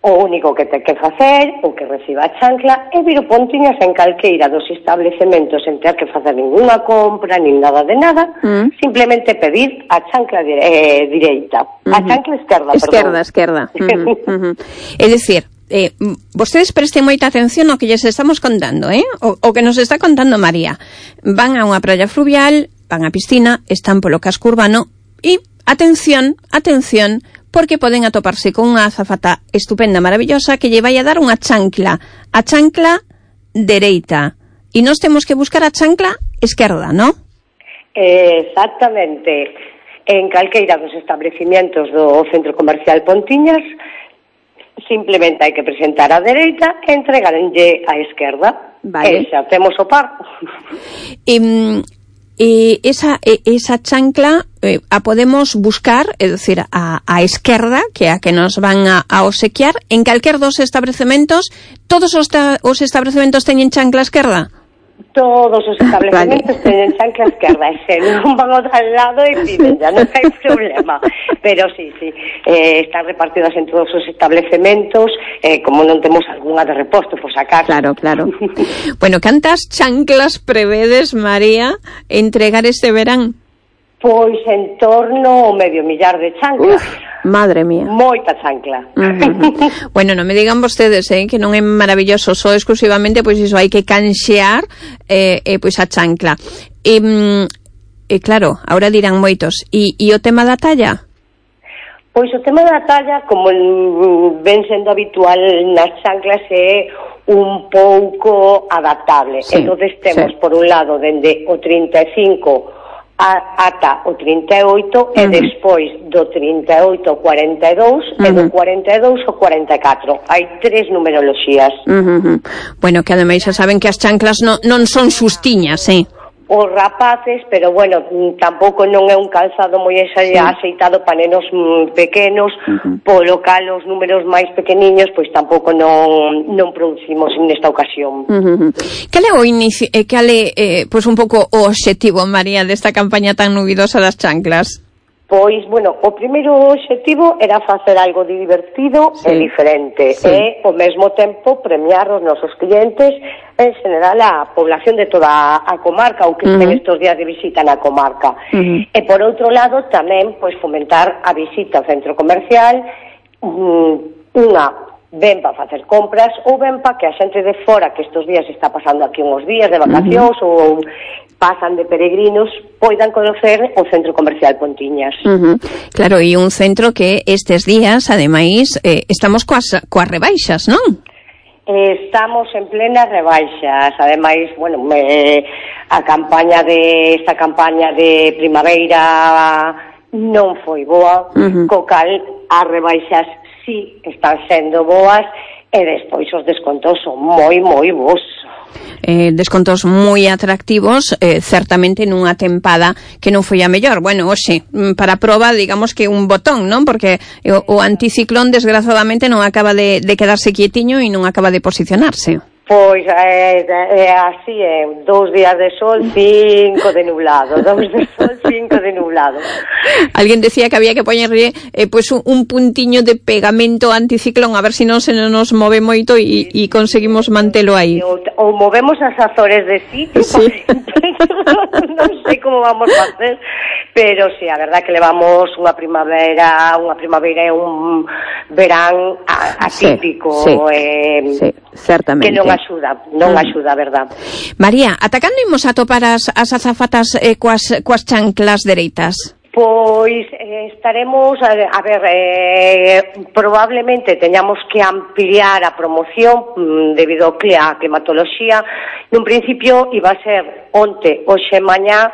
O único que ten que facer, o que reciba a chancla, é vir o Pontiñas en calqueira dos establecementos en ter que facer ninguna compra, nin nada de nada, mm. simplemente pedir a chancla dire, eh, direita. Mm-hmm. A chancla esquerda, esquerda, perdón. Esquerda, uh-huh, uh-huh. É dicir, eh, vostedes presten moita atención ao que lles estamos contando, eh? O, o que nos está contando María. Van a unha praia fluvial, van á piscina, están polo casco urbano e, atención, atención, porque poden atoparse con unha azafata estupenda, maravillosa, que lle vai a dar unha chancla, a chancla dereita. E nós temos que buscar a chancla esquerda, non? Exactamente. En calqueira dos establecimientos do Centro Comercial Pontiñas, simplemente hai que presentar a dereita e entregarenlle a esquerda. Vale. E xa temos o par. E... E esa, esa chancla eh, a podemos buscar, é dicir, a, a esquerda, que é a que nos van a, a obsequiar, en calquer dos establecementos. Todos os, ta, os establecementos teñen chancla esquerda? Todos os establecementos vale. Teñen chancla esquerda, e se non van ao tal lado e piden, ya non hai problema. Pero sí, sí, eh, están repartidas en todos os establecementos, eh, como non temos algunha de reposto, por sacar. Claro, claro. Bueno, cantas chanclas prevedes, María, entregar este verán? Pois en torno ao medio millar de chanclas. Uf, madre mía. Moita chancla. Uh-huh. Bueno, non me digan vostedes, eh, que non é maravilloso, só exclusivamente, pois iso, hai que canxear eh, eh, pois a chancla. E, e claro, ahora dirán moitos, e, e o tema da talla? Pois o tema da talla, como ven sendo habitual nas chanclas, é un pouco adaptable. Sí, entonces temos, sí. por un lado, dende o trinta e cinco a, ata o trinta e oito, uh-huh. e despois do trinta e oito ao cuarenta e dous, uh-huh. e do cuarenta e dous ao cuarenta e catro. Hai tres numeroloxías. Uh-huh. Bueno, que ademais xa saben que as chanclas no, non son xustiñas, eh? Os rapaces, pero bueno, tampouco non é un calzado moi sí. aceitado para nenos mm, pequenos, uh-huh. polo cal os números máis pequeniños, pois tampouco non non producimos nesta ocasión. Uh-huh. Cal é o inicio, eh, cal é eh, pois un pouco o obxectivo, María, desta campaña tan nubidosa das chanclas? Pois, bueno, o primeiro obxectivo era facer algo divertido sí. e diferente, sí. e, ao mesmo tempo, premiar os nosos clientes, en general, a población de toda a comarca, ou que uh-huh. estén estes días de visita na comarca. Uh-huh. E, por outro lado, tamén, pois, fomentar a visita ao centro comercial, um, unha ben para facer compras ou ben para que a xente de fora que estes días está pasando aquí uns días de vacacións uh-huh. ou pasan de peregrinos poidan conocer o centro comercial Pontiñas. Uh-huh. Claro, e un centro que estes días, ademais, eh, estamos coas, coas rebaixas, non? Estamos en plenas rebaixas, ademais, bueno, me, a campaña de esta campaña de primavera non foi boa, uh-huh. co cal as rebaixas si están sendo boas e despois os descontos son moi, moi bons. Eh, descontos moi atractivos, eh, certamente nunha tempada que non foi a mellor. Bueno, hoxe, para a proba, digamos que un botón, non? Porque o, o anticiclón, desgraciadamente, non acaba de, de quedarse quietiño e non acaba de posicionarse. Pois é, é así, é dous días de sol, cinco de nublado, dous de sol, cinco de nublado. Alguén decía que había que poñerlle eh, pues un, un puntiño de pegamento anticiclón, a ver se si non se nos move moito e, e conseguimos mantelo aí. Ou, ou movemos as Azores de sitio, sí. Non sei como vamos a facer, pero sí, a verdad que levamos unha primavera, unha primavera e un verán atípico, sí, sí, eh, sí, certamente. Que non axuda, non axuda, a verdad. María, ata cando imos a topar as, as azafatas eh, coas, coas chanclas dereitas? Pois eh, estaremos, a, a ver, eh, probablemente teñamos que ampliar a promoción mm, debido ao cli, a climatoloxía. Nun principio iba a ser onte, hoxe, mañá,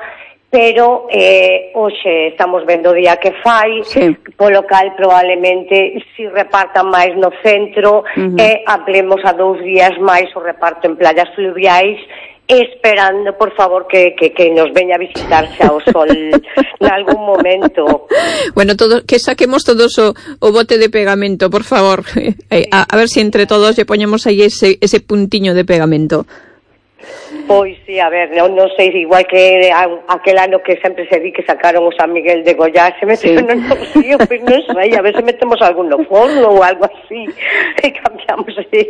pero eh, hoxe estamos vendo o día que fai, sí. polo cal probablemente si repartan máis no centro uh-huh. e ampliemos a dous días máis o reparto en playas fluviais, esperando, por favor, que, que, que nos veña a visitarse ao sol en algún momento. Bueno, todo, que saquemos todos o, o bote de pegamento, por favor. Eh, a, a ver si entre todos lle poñemos aí ese, ese puntiño de pegamento. Pois sí, a ver, non, non sei, igual que a, aquel ano que sempre se di que sacaron o San Miguel de Goya, se meteu sí. no río, pois non sei, a ver se metemos algún no forno ou algo así, e cambiamos así.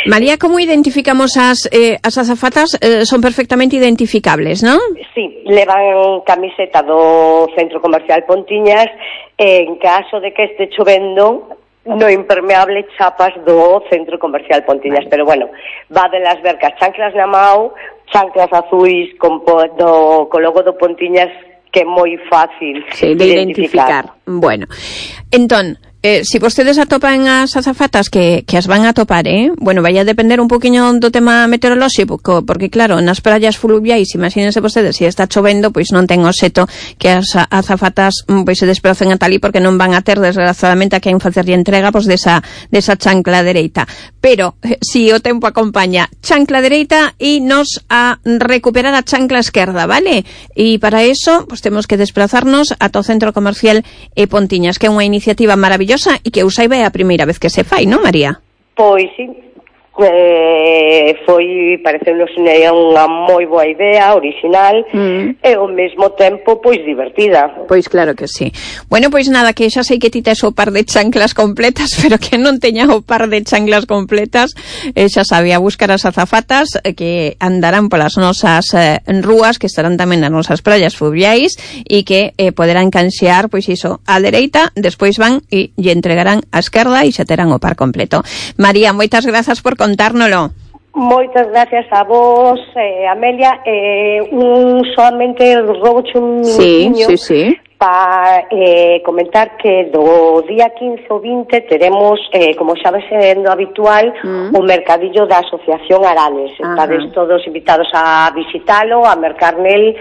María, como identificamos as, eh, as azafatas? Eh, son perfectamente identificables, non? Sí, levan camiseta do Centro Comercial Pontiñas, e en caso de que este chovendo, no impermeable chapas do Centro Comercial Pontiñas, vale. Pero bueno, va de las vercas chanclas na mau, chanclas azuis con do, co logo do Pontiñas, que é moi fácil sí, de identificar. identificar. Bueno, entón, eh, si vostedes atopan as azafatas que, que as van a topar, eh? Bueno, vai a depender un poquinho do tema meteorolóxico, porque claro, nas praias fluviais, imagínense vostedes, se está chovendo, pois non ten o xeto que as azafatas pois se despracen ata ali, porque non van a ter, desgraciadamente, a quen facerlle entrega pois desa, desa chancla dereita. Pero, eh, si o tempo acompaña, chancla dereita e nos a recuperar a chancla esquerda, vale? E para eso, pois temos que desplazarnos ata o Centro Comercial e Pontiñas, que é unha iniciativa maravillosa e que eu saiba é a primeira vez que se fai, non, María? Pois sí, eh, foi, pareceunos unha moi boa idea, original, mm. e ao mesmo tempo, pois, divertida. Pois claro que sí. Bueno, pois nada, que xa sei que ti tes o par de chanclas completas, pero que non teña o par de chanclas completas, eh, xa sabía buscar as azafatas eh, que andarán polas nosas eh, rúas, que estarán tamén nas nosas praias fluviais, e que eh, poderán canxear, pois iso, a dereita, despois van e lle entregarán a esquerda e xa terán o par completo. María, moitas grazas por contárnolo. Moitas gracias a vos, eh, Amelia. Eh, un solamente rouboche un minutinho sí, sí, sí. para eh, comentar que do día quince ou vinte teremos, eh, como xa vai sendo habitual, mm. o mercadillo da Asociación Aranes. Estades todos invitados a visitalo, a mercar nel.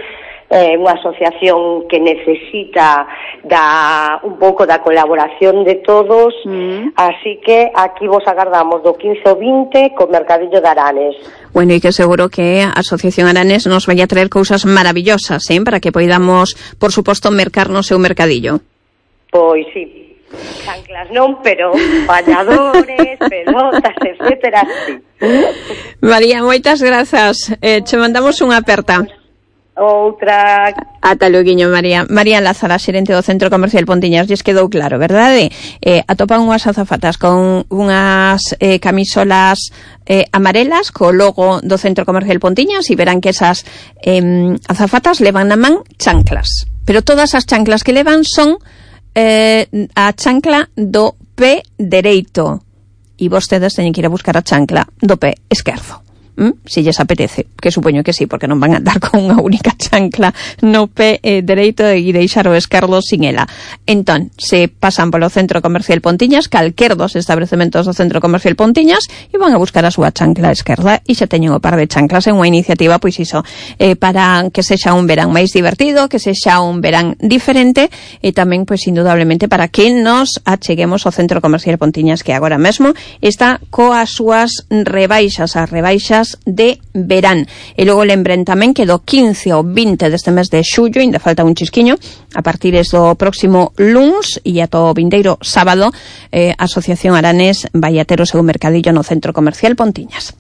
É eh, unha asociación que necesita da un pouco da colaboración de todos, mm. así que aquí vos agardamos do quince ao vinte co mercadillo de Aranes. Bueno, e que seguro que a Asociación Aranes nos vai a traer cousas maravillosas, eh, para que poidamos, por suposto, mercar no seu mercadillo. Pois sí, chanclas non, pero bañadores, pelotas, etcétera, sí. María, moitas grazas, eh, che mandamos unha aperta. Outra. Ata loguiño, María. María Lázara, xerente do Centro Comercial Pontiñas. Lles quedou claro, verdade? Eh, atopan unhas azafatas con unhas eh, camisolas eh, amarelas co logo do Centro Comercial Pontiñas e verán que esas eh, azafatas levan na man chanclas. Pero todas as chanclas que levan son eh, a chancla do pé dereito. E vostedes teñen que ir a buscar a chancla do pé esquerdo. ¿Mm? Si lles apetece, que supoño que sí, porque non van a andar con unha única chancla no pé eh, dereito e deixar o esquerdo sin ela. Entón, se pasan polo Centro Comercial Pontiñas, calquer dos establecementos do Centro Comercial Pontiñas, e van a buscar a súa chancla esquerda e xa teñen o par de chanclas en unha iniciativa, pois iso, eh, para que sexa un verán máis divertido, que sexa un verán diferente, e tamén, pois, indudablemente, para que nos acheguemos ao Centro Comercial Pontiñas, que agora mesmo está coas súas rebaixas, as rebaixas de verán. E logo lembren tamén que do quince ao vinte deste mes de xullo, ainda falta un chisquiño, a partir do próximo luns e ata o vindeiro sábado, eh, a Asociación Aranes vai a ter o seu mercadillo no Centro Comercial Pontiñas.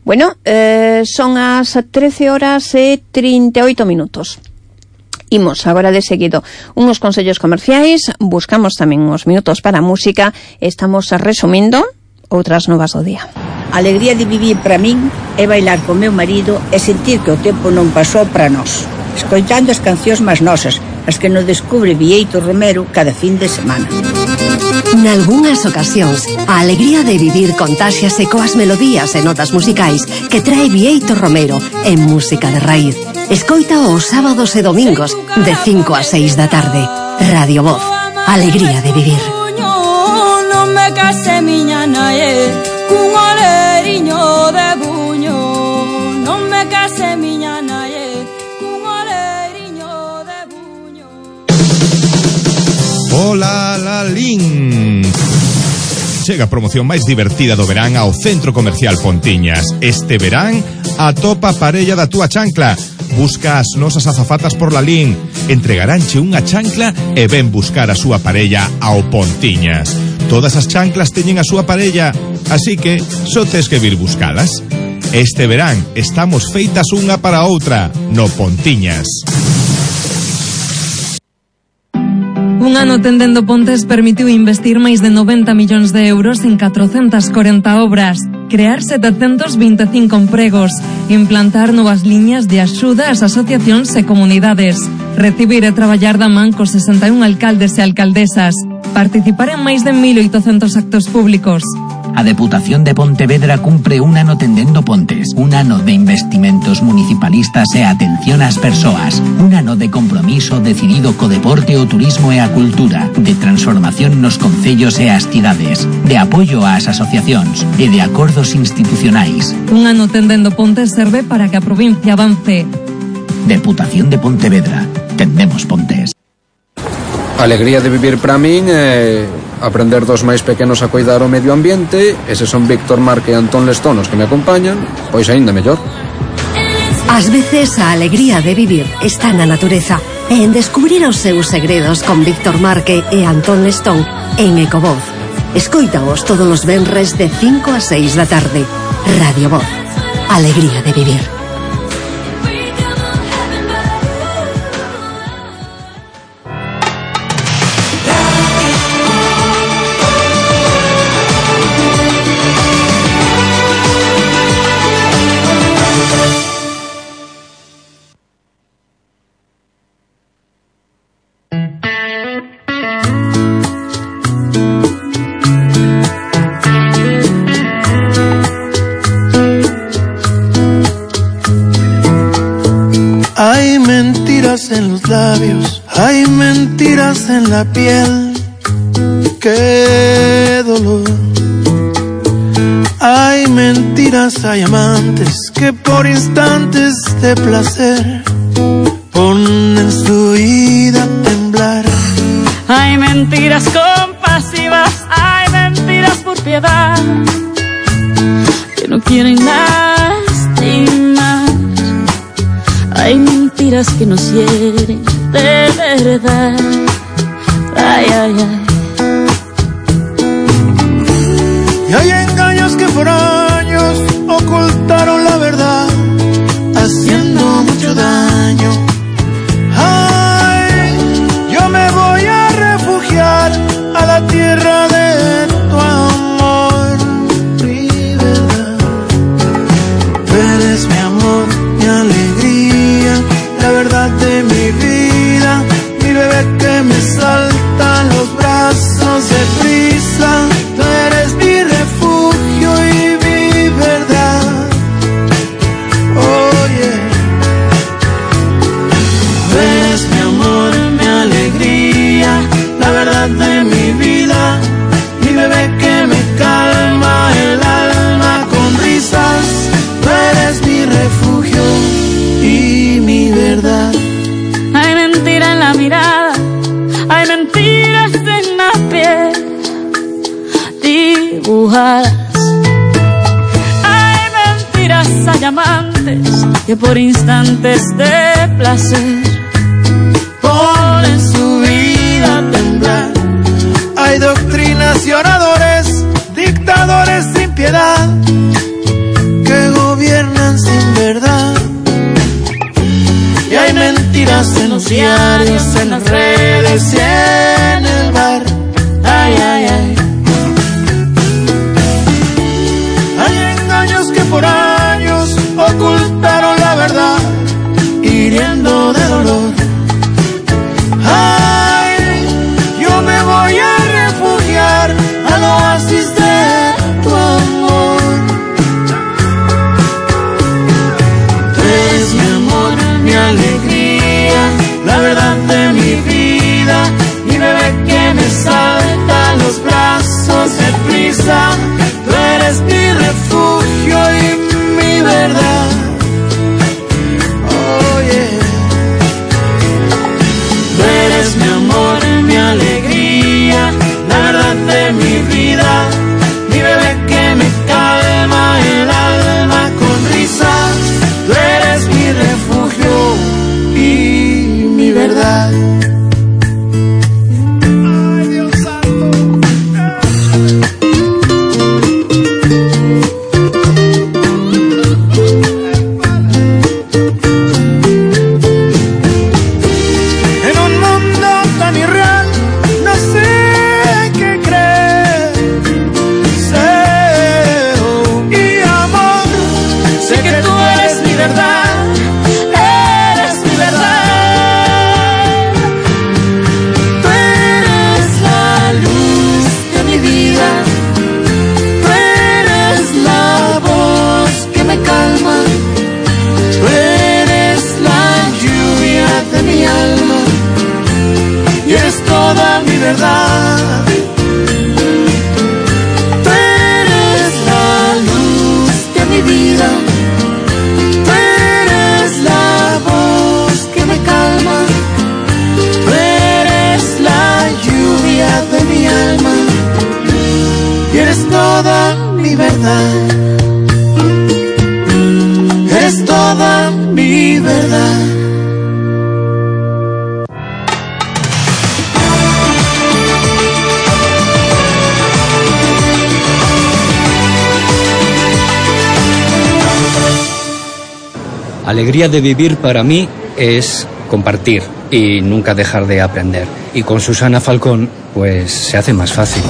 Bueno, eh, son as trece horas e trinta e oito minutos. Imos agora de seguido unhos consellos comerciais, buscamos tamén uns minutos para a música, estamos resumindo outras novas do día. A alegría de vivir para min é bailar co meu marido e sentir que o tempo non pasou para nós, escoitando as cancións máis nosas, as que nos descubre Bieito Romero cada fin de semana. Nalgúnas ocasións, a alegría de vivir contáxiase coas melodías e notas musicais que trae Bieito Romero en Música de Raíz. Escoita os sábados e domingos de cinco a seis da tarde. Radio Voz, alegría de vivir. Non me case miña nae cun oleriño de buño. Non me case miña nae cun oleriño de buño. Hola, Lalín. Chega a promoción máis divertida do verán ao Centro Comercial Pontiñas. Este verán, atopa a parella da túa chancla. Busca as nosas azafatas por Lalín. Entregaránche unha chancla e ven buscar a súa parella ao Pontiñas. Todas as chanclas teñen a súa parella, así que só tes que vir buscalas. Este verán estamos feitas unha para outra no Pontiñas. Un ano tendendo Pontes permitiu investir máis de noventa millóns de euros en catrocentas corenta obras, crear setecentos vinte e cinco empregos, implantar novas liñas de axuda ás asociacións e comunidades, recibir e traballar da man cos sesenta e un alcaldes e alcaldesas, participar en máis de mil oitocentos actos públicos. A Deputación de Pontevedra cumpre un ano tendendo Pontes, un ano de investimentos municipalistas e atención ás persoas, un ano de compromiso decidido co deporte, o turismo e a cultura, de transformación nos concellos e as cidades, de apoio ás asociacións e de acordos institucionais. Un ano tendendo Pontes serve para que a provincia avance. Deputación de Pontevedra, tendemos Pontes. A alegría de vivir para min é aprender dos máis pequenos a cuidar o medio ambiente. Eses son Víctor Marque e Antón Lestón os que me acompañan, pois aínda mellor. Ás veces a alegría de vivir está na natureza e en descubrir os seus segredos con Víctor Marque e Antón Lestón en Ecovoz. Escoítaos todos os venres de cinco a seis da tarde. Radio Voz. Alegría de vivir. Hay mentiras en los labios, hay mentiras en la piel, qué dolor. Hay mentiras, hay amantes que por instantes de placer ponen su vida a temblar. Hay mentiras compasivas, hay mentiras por piedad, que no quieren lastimar. Hay mentiras que nos hieren de verdad. Ay, ay, ay. Y hay engaños que por años ocultaron la verdad, haciendo mucho daño. Ay, yo me voy a refugiar a la tierra de tu amor, mi verdad. Tú eres mi amor, mi alegría, la verdad de mi vida, mi bebé que me salta en los brazos de prisa. Tú eres mi refugio y mi verdad. Oye, tú eres mi amor, mi alegría, la verdad de mi vida, mi bebé que me calma el alma con risas. Tú eres mi refugio y mi verdad. Hay mentira en la mirada, hay mentiras en la piel dibujadas. Hay mentiras, hay amantes que por instantes de placer ponen su vida a temblar. Hay doctrinas y oradores, dictadores sin piedad, que gobiernan sin verdad. Y hay mentiras en los diarios, en las redes y en el bar. Ay, ay, ay. Hay engaños que por años ocultaron la verdad, hiriendo de dolor. Ay, yo me voy a refugiar al oasis de tu amor. Tú eres mi amor, mi alegría, la verdad de mi vida, mi bebé que me salta en los brazos de prisa. Tú eres mi refugio y mi verdad. Oye, tú eres mi amor, mi alegría, la verdad de mi vida, mi bebé que me calma el alma con risas. Tú eres mi refugio y mi verdad. Ay, Dios santo. En un mundo tan irreal, no sé qué creer. Sé y amor, sé que tú eres mi verdad, eres mi verdad. Tú eres la luz de mi vida, tú eres la voz que me calma, tú eres la lluvia de mi alma y eres toda mi verdad. Tú eres la luz de mi vida, tú eres la voz que me calma, tú eres la lluvia de mi alma y eres toda mi verdad. Eres toda mi verdad. alegría de vivir para mí es compartir y nunca dejar de aprender. Y con Susana Falcón, pues se hace más fácil.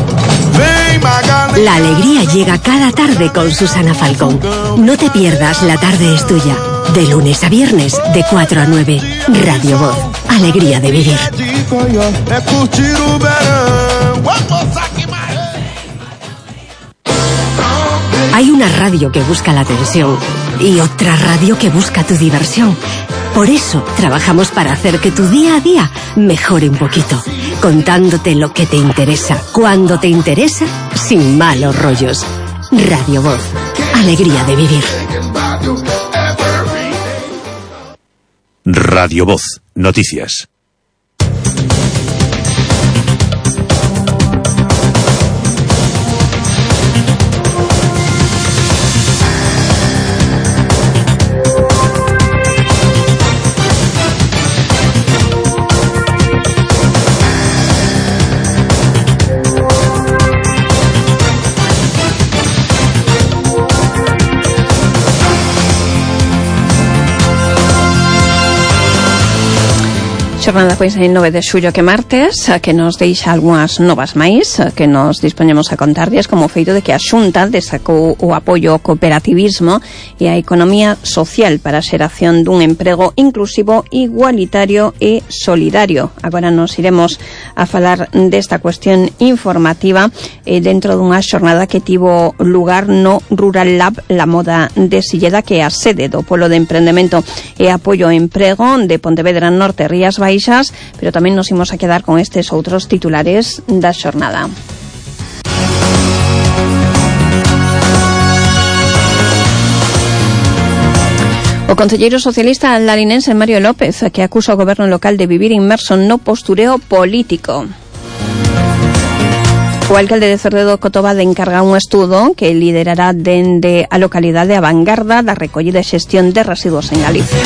La alegría llega cada tarde con Susana Falcón. No te pierdas La tarde es tuya. De lunes a viernes, de cuatro a nueve. Radio Voz. Alegría de vivir. Hay una radio que busca la atención y otra radio que busca tu diversión. Por eso trabajamos para hacer que tu día a día mejore un poquito, contándote lo que te interesa, cuando te interesa, sin malos rollos. Radio Voz. Alegría de vivir. Radio Voz. Noticias. Xornada pois en nove de xullo que martes, que nos deixa algunhas novas máis que nos dispoñemos a contarlles, como o feito de que a Xunta destacou o apoio ao cooperativismo e a economía social para a xeración dun emprego inclusivo, igualitario e solidario. Agora nos iremos a falar desta cuestión informativa eh, dentro dunha xornada que tivo lugar no Rural Lab La Moda de Silleda, que é a sede do Polo de Emprendemento e Apoio ao Emprego de Pontevedra Norte, Rías Baixas. Pero tamén nos imos a quedar con estes outros titulares da xornada. O concelleiro socialista larinense Mario López, que acusa o goberno local de vivir inmerso no postureo político. O alcalde de Cerdedo Cotobade encarga un estudo que liderará dende a localidade a vanguarda da recollida e xestión de residuos en Galicia.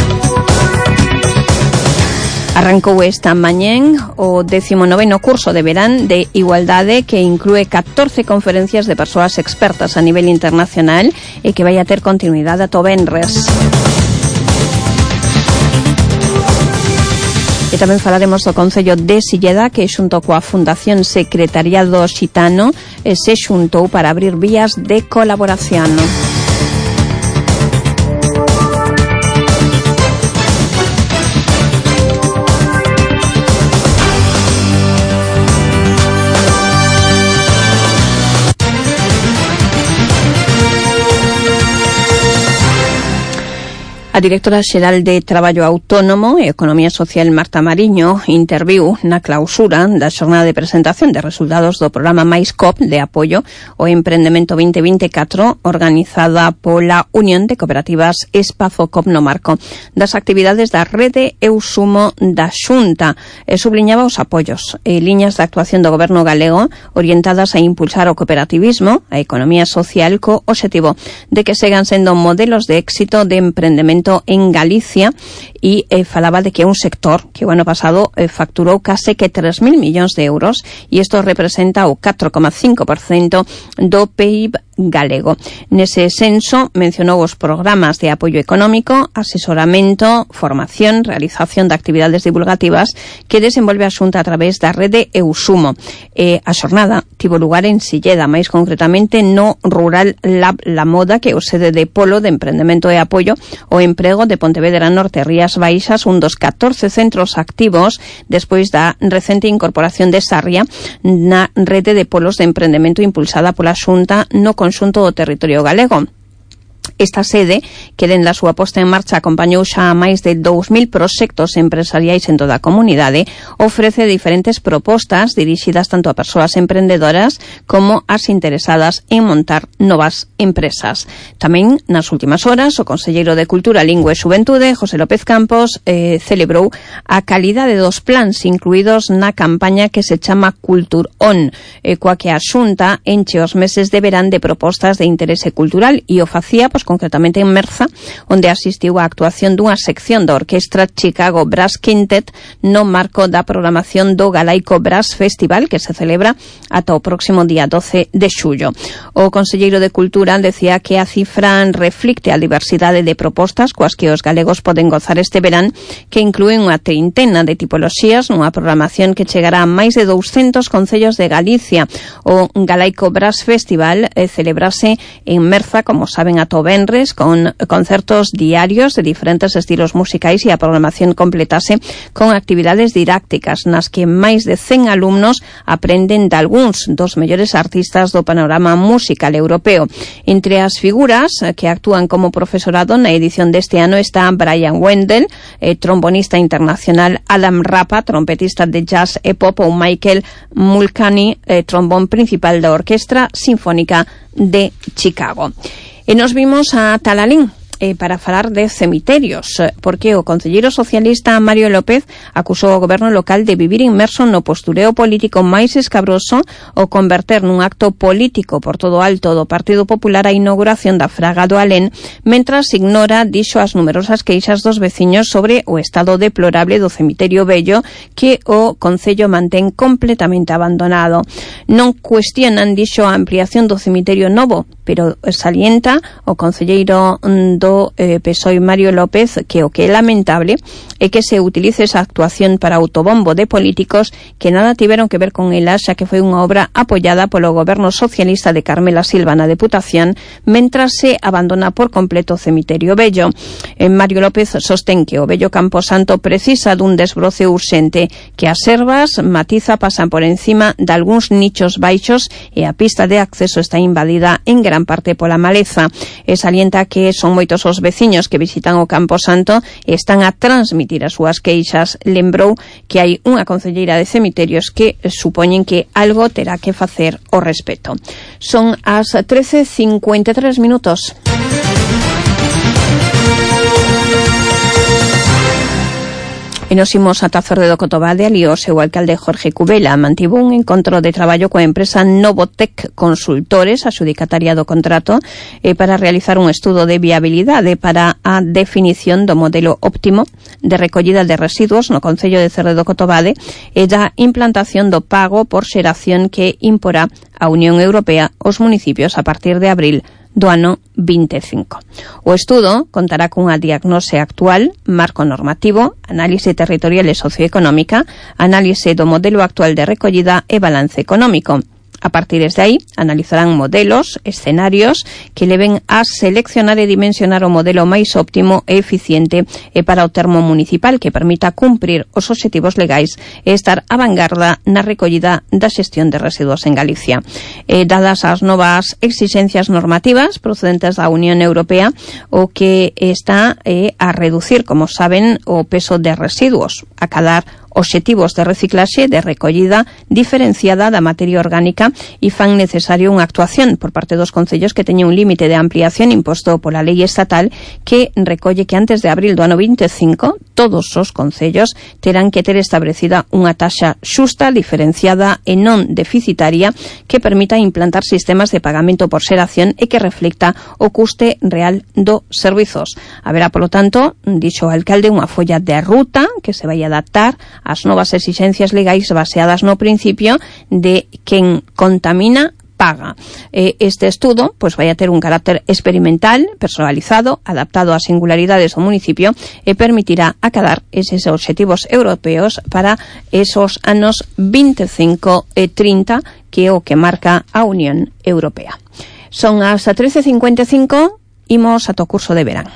Arrancou esta mañén o décimo noveno curso de verán de Igualdade, que inclúe catorce conferencias de persoas expertas a nivel internacional e que vai a ter continuidade ata o venres. E tamén falaremos do Concello de Silleda, que xunto coa Fundación Secretariado Xitano se xuntou para abrir vías de colaboración. A directora xeral de Traballo Autónomo e Economía Social, Marta Mariño, interviu na clausura da xornada de presentación de resultados do programa Mais C O P de apoio ao emprendemento vinte vinte e catro, organizada pola Unión de Cooperativas Espazo C O P no marco das actividades da rede Eu Sumo da Xunta, e subliñaba os apoios e liñas de actuación do goberno galego orientadas a impulsar o cooperativismo, a economía social, co obxectivo de que segan sendo modelos de éxito de emprendemento en Galicia, e eh, falaba de que é un sector que o ano pasado eh, facturou case que tres mil millóns de euros, e isto representa o catro coma cinco por cento do P I B galego. Nese senso mencionou os programas de apoio económico, asesoramento, formación, realización de actividades divulgativas que desenvolve a Xunta a través da rede Eu Sumo. E a xornada tivo lugar en Silleda, máis concretamente no Rural Lab La Moda, que é o sede de Polo de Emprendemento e Apoio ao Emprego de Pontevedra Norte, Rías Baixas, un dos catorce centros activos despois da recente incorporación de Sarria na rede de polos de emprendemento impulsada pola Xunta no conxunto do territorio galego. Esta sede, que dende a súa posta en marcha acompañou xa a máis de dous mil proxectos empresariais en toda a comunidade, ofrece diferentes propostas dirixidas tanto a persoas emprendedoras como as interesadas en montar novas empresas. Tamén, nas últimas horas, o conselleiro de Cultura, Lingua e Xuventude, José López Campos, eh, celebrou a calidade dos plans incluídos na campaña que se chama Cultur On, eh, coa que a Xunta enche os meses de verán de propostas de interese cultural, e o facía pois concretamente en Merza, onde asistiu á actuación dunha sección da Orquestra Chicago Brass Quintet no marco da programación do Galaico Brass Festival, que se celebra ata o próximo día doce de xullo. O conselleiro de Cultura decía que a cifra reflicte a diversidade de propostas coas que os galegos poden gozar este verán, que inclúen unha treintena de tipoloxías nunha programación que chegará a máis de douscentos concellos de Galicia. O Galaico Brass Festival eh, celebrase en Merza, como saben, ata o venres, con concertos diarios de diferentes estilos musicais, e a programación completase con actividades didácticas nas que máis de cen alumnos aprenden de algúns dos mellores artistas do panorama musical europeo. Entre as figuras que actúan como profesorado na edición deste ano está Brian Wendell, eh, trombonista internacional, Adam Rapa, trompetista de jazz e pop, ou Michael Mulcahy, eh, trombón principal da Orquestra Sinfónica de Chicago. E nos vimos a Talalín eh, para falar de cemiterios, porque o concelleiro socialista Mario López acusou ao goberno local de vivir inmerso no postureo político máis escabroso o converter nun acto político por todo alto do Partido Popular a inauguración da Fraga do Alén, mentras ignora, dixo, as numerosas queixas dos veciños sobre o estado deplorable do cemiterio vello que o concello mantén completamente abandonado. Non cuestionan, dixo, a ampliación do cemiterio novo, pero salienta o concelleiro do eh, P S O E Mario López que o que é lamentable é que se utilice esa actuación para autobombo de políticos que nada tiveron que ver con ela, xa que foi unha obra apoiada polo goberno socialista de Carmela Silva na Deputación, mentras se abandona por completo o cemiterio vello. Eh, Mario López sostén que o vello Camposanto precisa dun desbroce urxente, que as servas, matiza, pasan por encima de algúns nichos baixos e a pista de acceso está invadida en gran parte pola maleza. E salienta que son moitos os veciños que visitan o Camposanto e están a transmitir as súas queixas. Lembrou que hai unha concelleira de cemiterios que supoñen que algo terá que facer ao respecto. Son as trece cincuenta e tres minutos. E nos imos ata Cerde do Cotobade. Ali o seu alcalde Jorge Cubela mantivo un encontro de traballo coa empresa Novotec Consultores, adxudicataria do contrato, eh, para realizar un estudo de viabilidade para a definición do modelo óptimo de recollida de residuos no concello de Cerde do Cotobade e da implantación do pago por xeración que imporá a Unión Europea aos municipios a partir de abril do ano vinte e cinco. O estudo contará cunha diagnose actual, marco normativo, análise territorial e socioeconómica, análise do modelo actual de recollida e balance económico. A partir de aí, analizarán modelos, escenarios que leven a seleccionar e dimensionar o modelo máis óptimo e eficiente e para o termo municipal que permita cumprir os obxectivos legais e estar a vanguarda na recollida da xestión de residuos en Galicia. E, dadas as novas exigencias normativas procedentes da Unión Europea, o que está eh, a reducir, como saben, o peso de residuos, a cadar obxectivos de reciclaxe de recollida diferenciada da materia orgánica e fan necesario unha actuación por parte dos concellos que teñen un límite de ampliación imposto pola lei estatal que recolle que antes de abril do ano vinte e cinco todos os concellos terán que ter establecida unha taxa xusta, diferenciada e non deficitaria que permita implantar sistemas de pagamento por xeración e que reflecta o custe real dos servizos. Haberá, polo tanto, dixo o alcalde, unha folla de ruta que se vai adaptar as novas exigencias legais baseadas no principio de quen contamina paga. Este estudo pois vai a ter un carácter experimental, personalizado, adaptado ás singularidades do municipio e permitirá acadar eses obxectivos europeos para esos anos vinte e cinco e trinta que é o que marca a Unión Europea. Son as trece cincuenta e cinco, imos ata o curso de verán.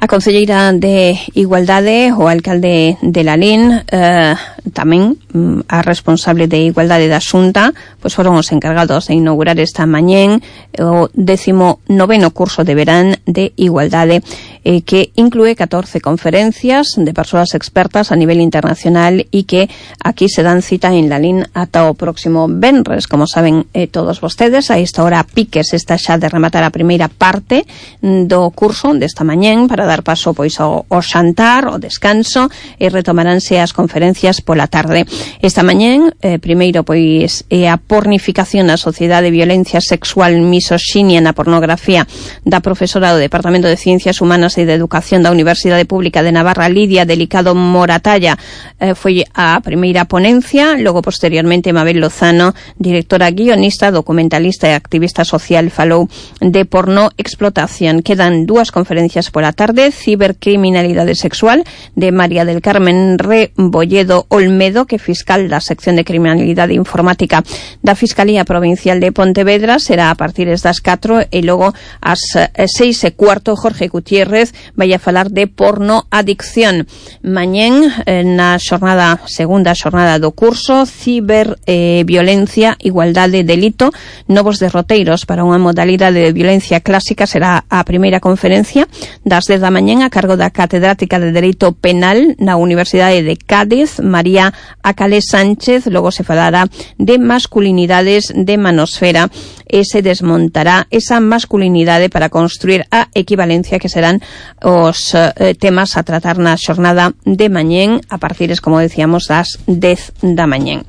A concelleira de Igualdade, o alcalde de Lalín, eh, tamén mm, a responsable de Igualdade da Xunta, pois foron os encargados de inaugurar esta mañén o décimo noveno curso de verán de Igualdade eh, que incluye catorce conferencias de persoas expertas a nivel internacional y que aquí se dan cita en Lalín ata o próximo venres. Como saben eh, todos vostedes, a esta hora piques está xa de rematar a primeira parte do curso desta mañén para dar paso pois ao, ao xantar, ao descanso, e retomaránse as conferencias pola tarde. Esta mañén, eh, primeiro pois é a pornificación na sociedade, violencia sexual, misoxinia na pornografía, da profesora do Departamento de Ciencias Humanas e de Educación da Universidade Pública de Navarra, Lidia Delicado Moratalla, eh, foi a primeira ponencia. Logo, posteriormente, Mabel Lozano, directora guionista, documentalista e activista social, falou de porno explotación. Quedan dúas conferencias pola tarde: cibercriminalidade sexual, de María del Carmen Rebolledo Olmedo, que é fiscal da sección de criminalidade informática da Fiscalía Provincial de Pontevedra, será a partir das catro, e logo ás seis e cuarto Jorge Gutiérrez vai a falar de porno adicción. Mañén, na xornada, segunda xornada do curso, ciberviolencia, eh, igualdade, delito, novos derroteiros para unha modalidade de violencia clásica, será a primeira conferencia das dez da mañén a cargo da catedrática de Dereito Penal na Universidade de Cádiz, María Acalé Sánchez. Logo se falará de masculinidades de manosfera e se desmontará esa masculinidade para construir a equivalencia, que serán os eh, temas a tratar na xornada de mañén a partir, como decíamos, das dez da mañén.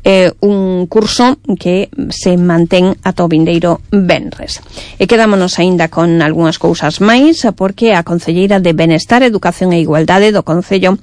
Eh, un curso que se mantén ata o vindeiro venres. E quedámonos aínda con algunhas cousas máis, porque a concelleira de Benestar, Educación e Igualdade do Concello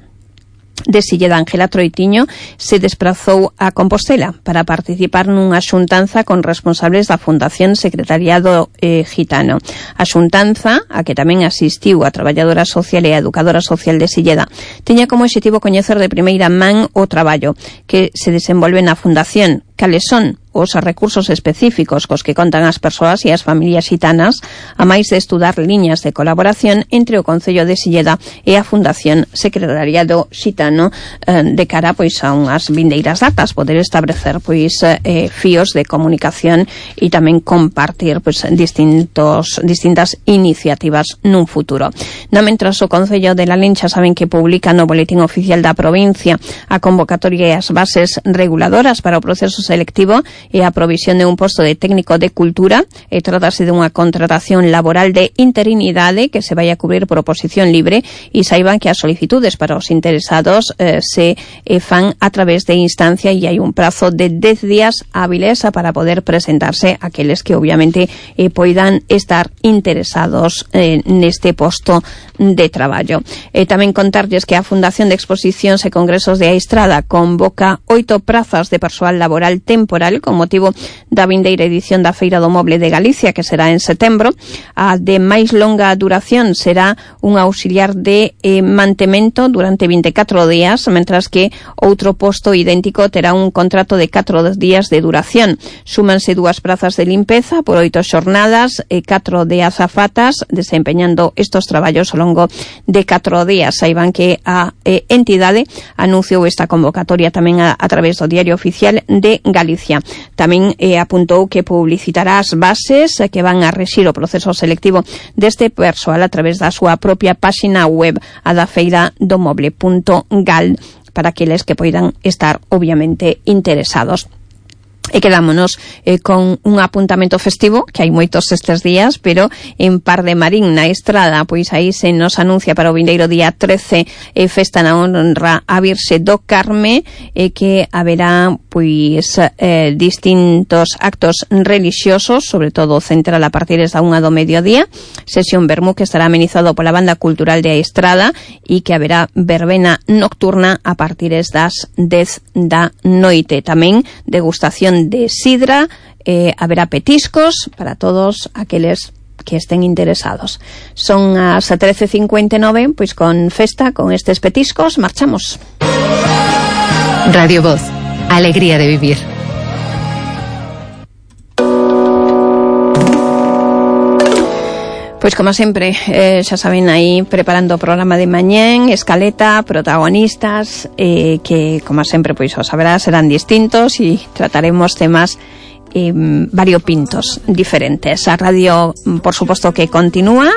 de Silleda, Ángela Troitiño, se desprazou a Compostela para participar nunha xuntanza con responsables da Fundación Secretariado eh, Gitano. A xuntanza, a que tamén asistiu a traballadora social e a educadora social de Silleda, tiña como objetivo coñecer de primeira man o traballo que se desenvolve na Fundación, cales son os recursos específicos cos que contan as persoas e as familias xitanas, a máis de estudar liñas de colaboración entre o Concello de Silleda e a Fundación Secretariado Xitano eh, de cara pois a unhas vindeiras datas, poder establecer pois eh, fíos de comunicación e tamén compartir pois distintos distintas iniciativas nun futuro. No mentras o Concello de Lalín xa saben que publica no Boletín Oficial da Provincia a convocatoria e as bases reguladoras para o proceso selectivo e a provisión de un posto de técnico de cultura. E trátase de unha contratación laboral de interinidade que se vai a cubrir por oposición libre, e saiban que as solicitudes para os interesados eh, se eh, fan a través de instancia, e hai un prazo de dez días hábiles para poder presentarse aqueles que obviamente eh, poidan estar interesados eh, neste posto de traballo. E tamén contarlles que a Fundación de Exposicións e Congresos de Aistrada convoca oito prazas de persoal laboral temporal con motivo da vindeira edición da Feira do Moble de Galicia, que será en setembro. A de máis longa duración será un auxiliar de eh, mantemento durante vinte e catro días, mentras que outro posto idéntico terá un contrato de catro días de duración. Súmanse dúas prazas de limpeza por oito xornadas e catro de azafatas desempeñando estos traballos ao longo de catro días. Saiban que a eh, entidade anunciou esta convocatoria tamén a, a través do Diario Oficial de Galicia. Tamén eh, apuntou que publicitará as bases eh, que van a rexir o proceso selectivo deste persoal a través da súa propia páxina web, a da feira do moble punto gal, para aqueles que poidan estar obviamente interesados. E quedámonos eh, con un apuntamento festivo, que hai moitos estes días, pero en Par de Marín, na Estrada, pois aí se nos anuncia para o vindeiro día trece eh, festa na honra a Virxe do Carme, e eh, que haberá pois eh, distintos actos religiosos, sobre todo central a partir da unha do mediodía, sesión vermú que estará amenizado pola Banda Cultural de Estrada, e que haberá verbena nocturna a partir das dez da noite. Tamén degustación de sidra, eh, haberá petiscos para todos aqueles que estén interesados. Son as trece cincuenta e nove, pois con festa, con estes petiscos, marchamos. Radio Voz, alegría de vivir. Pois como sempre, eh, xa saben, aí preparando o programa de mañén, escaleta, protagonistas, eh, que como sempre, pois os saberá, serán distintos e trataremos temas eh, variopintos, diferentes. A radio, por suposto, que continúa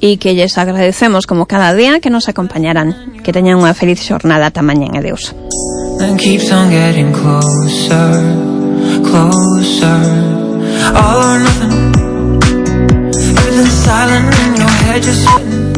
e que lles agradecemos como cada día que nos acompañarán. Que teñan unha feliz xornada ata mañán. Adeus. And keeps on getting closer, closer. All or nothing. Everything's silent in your head, just sitting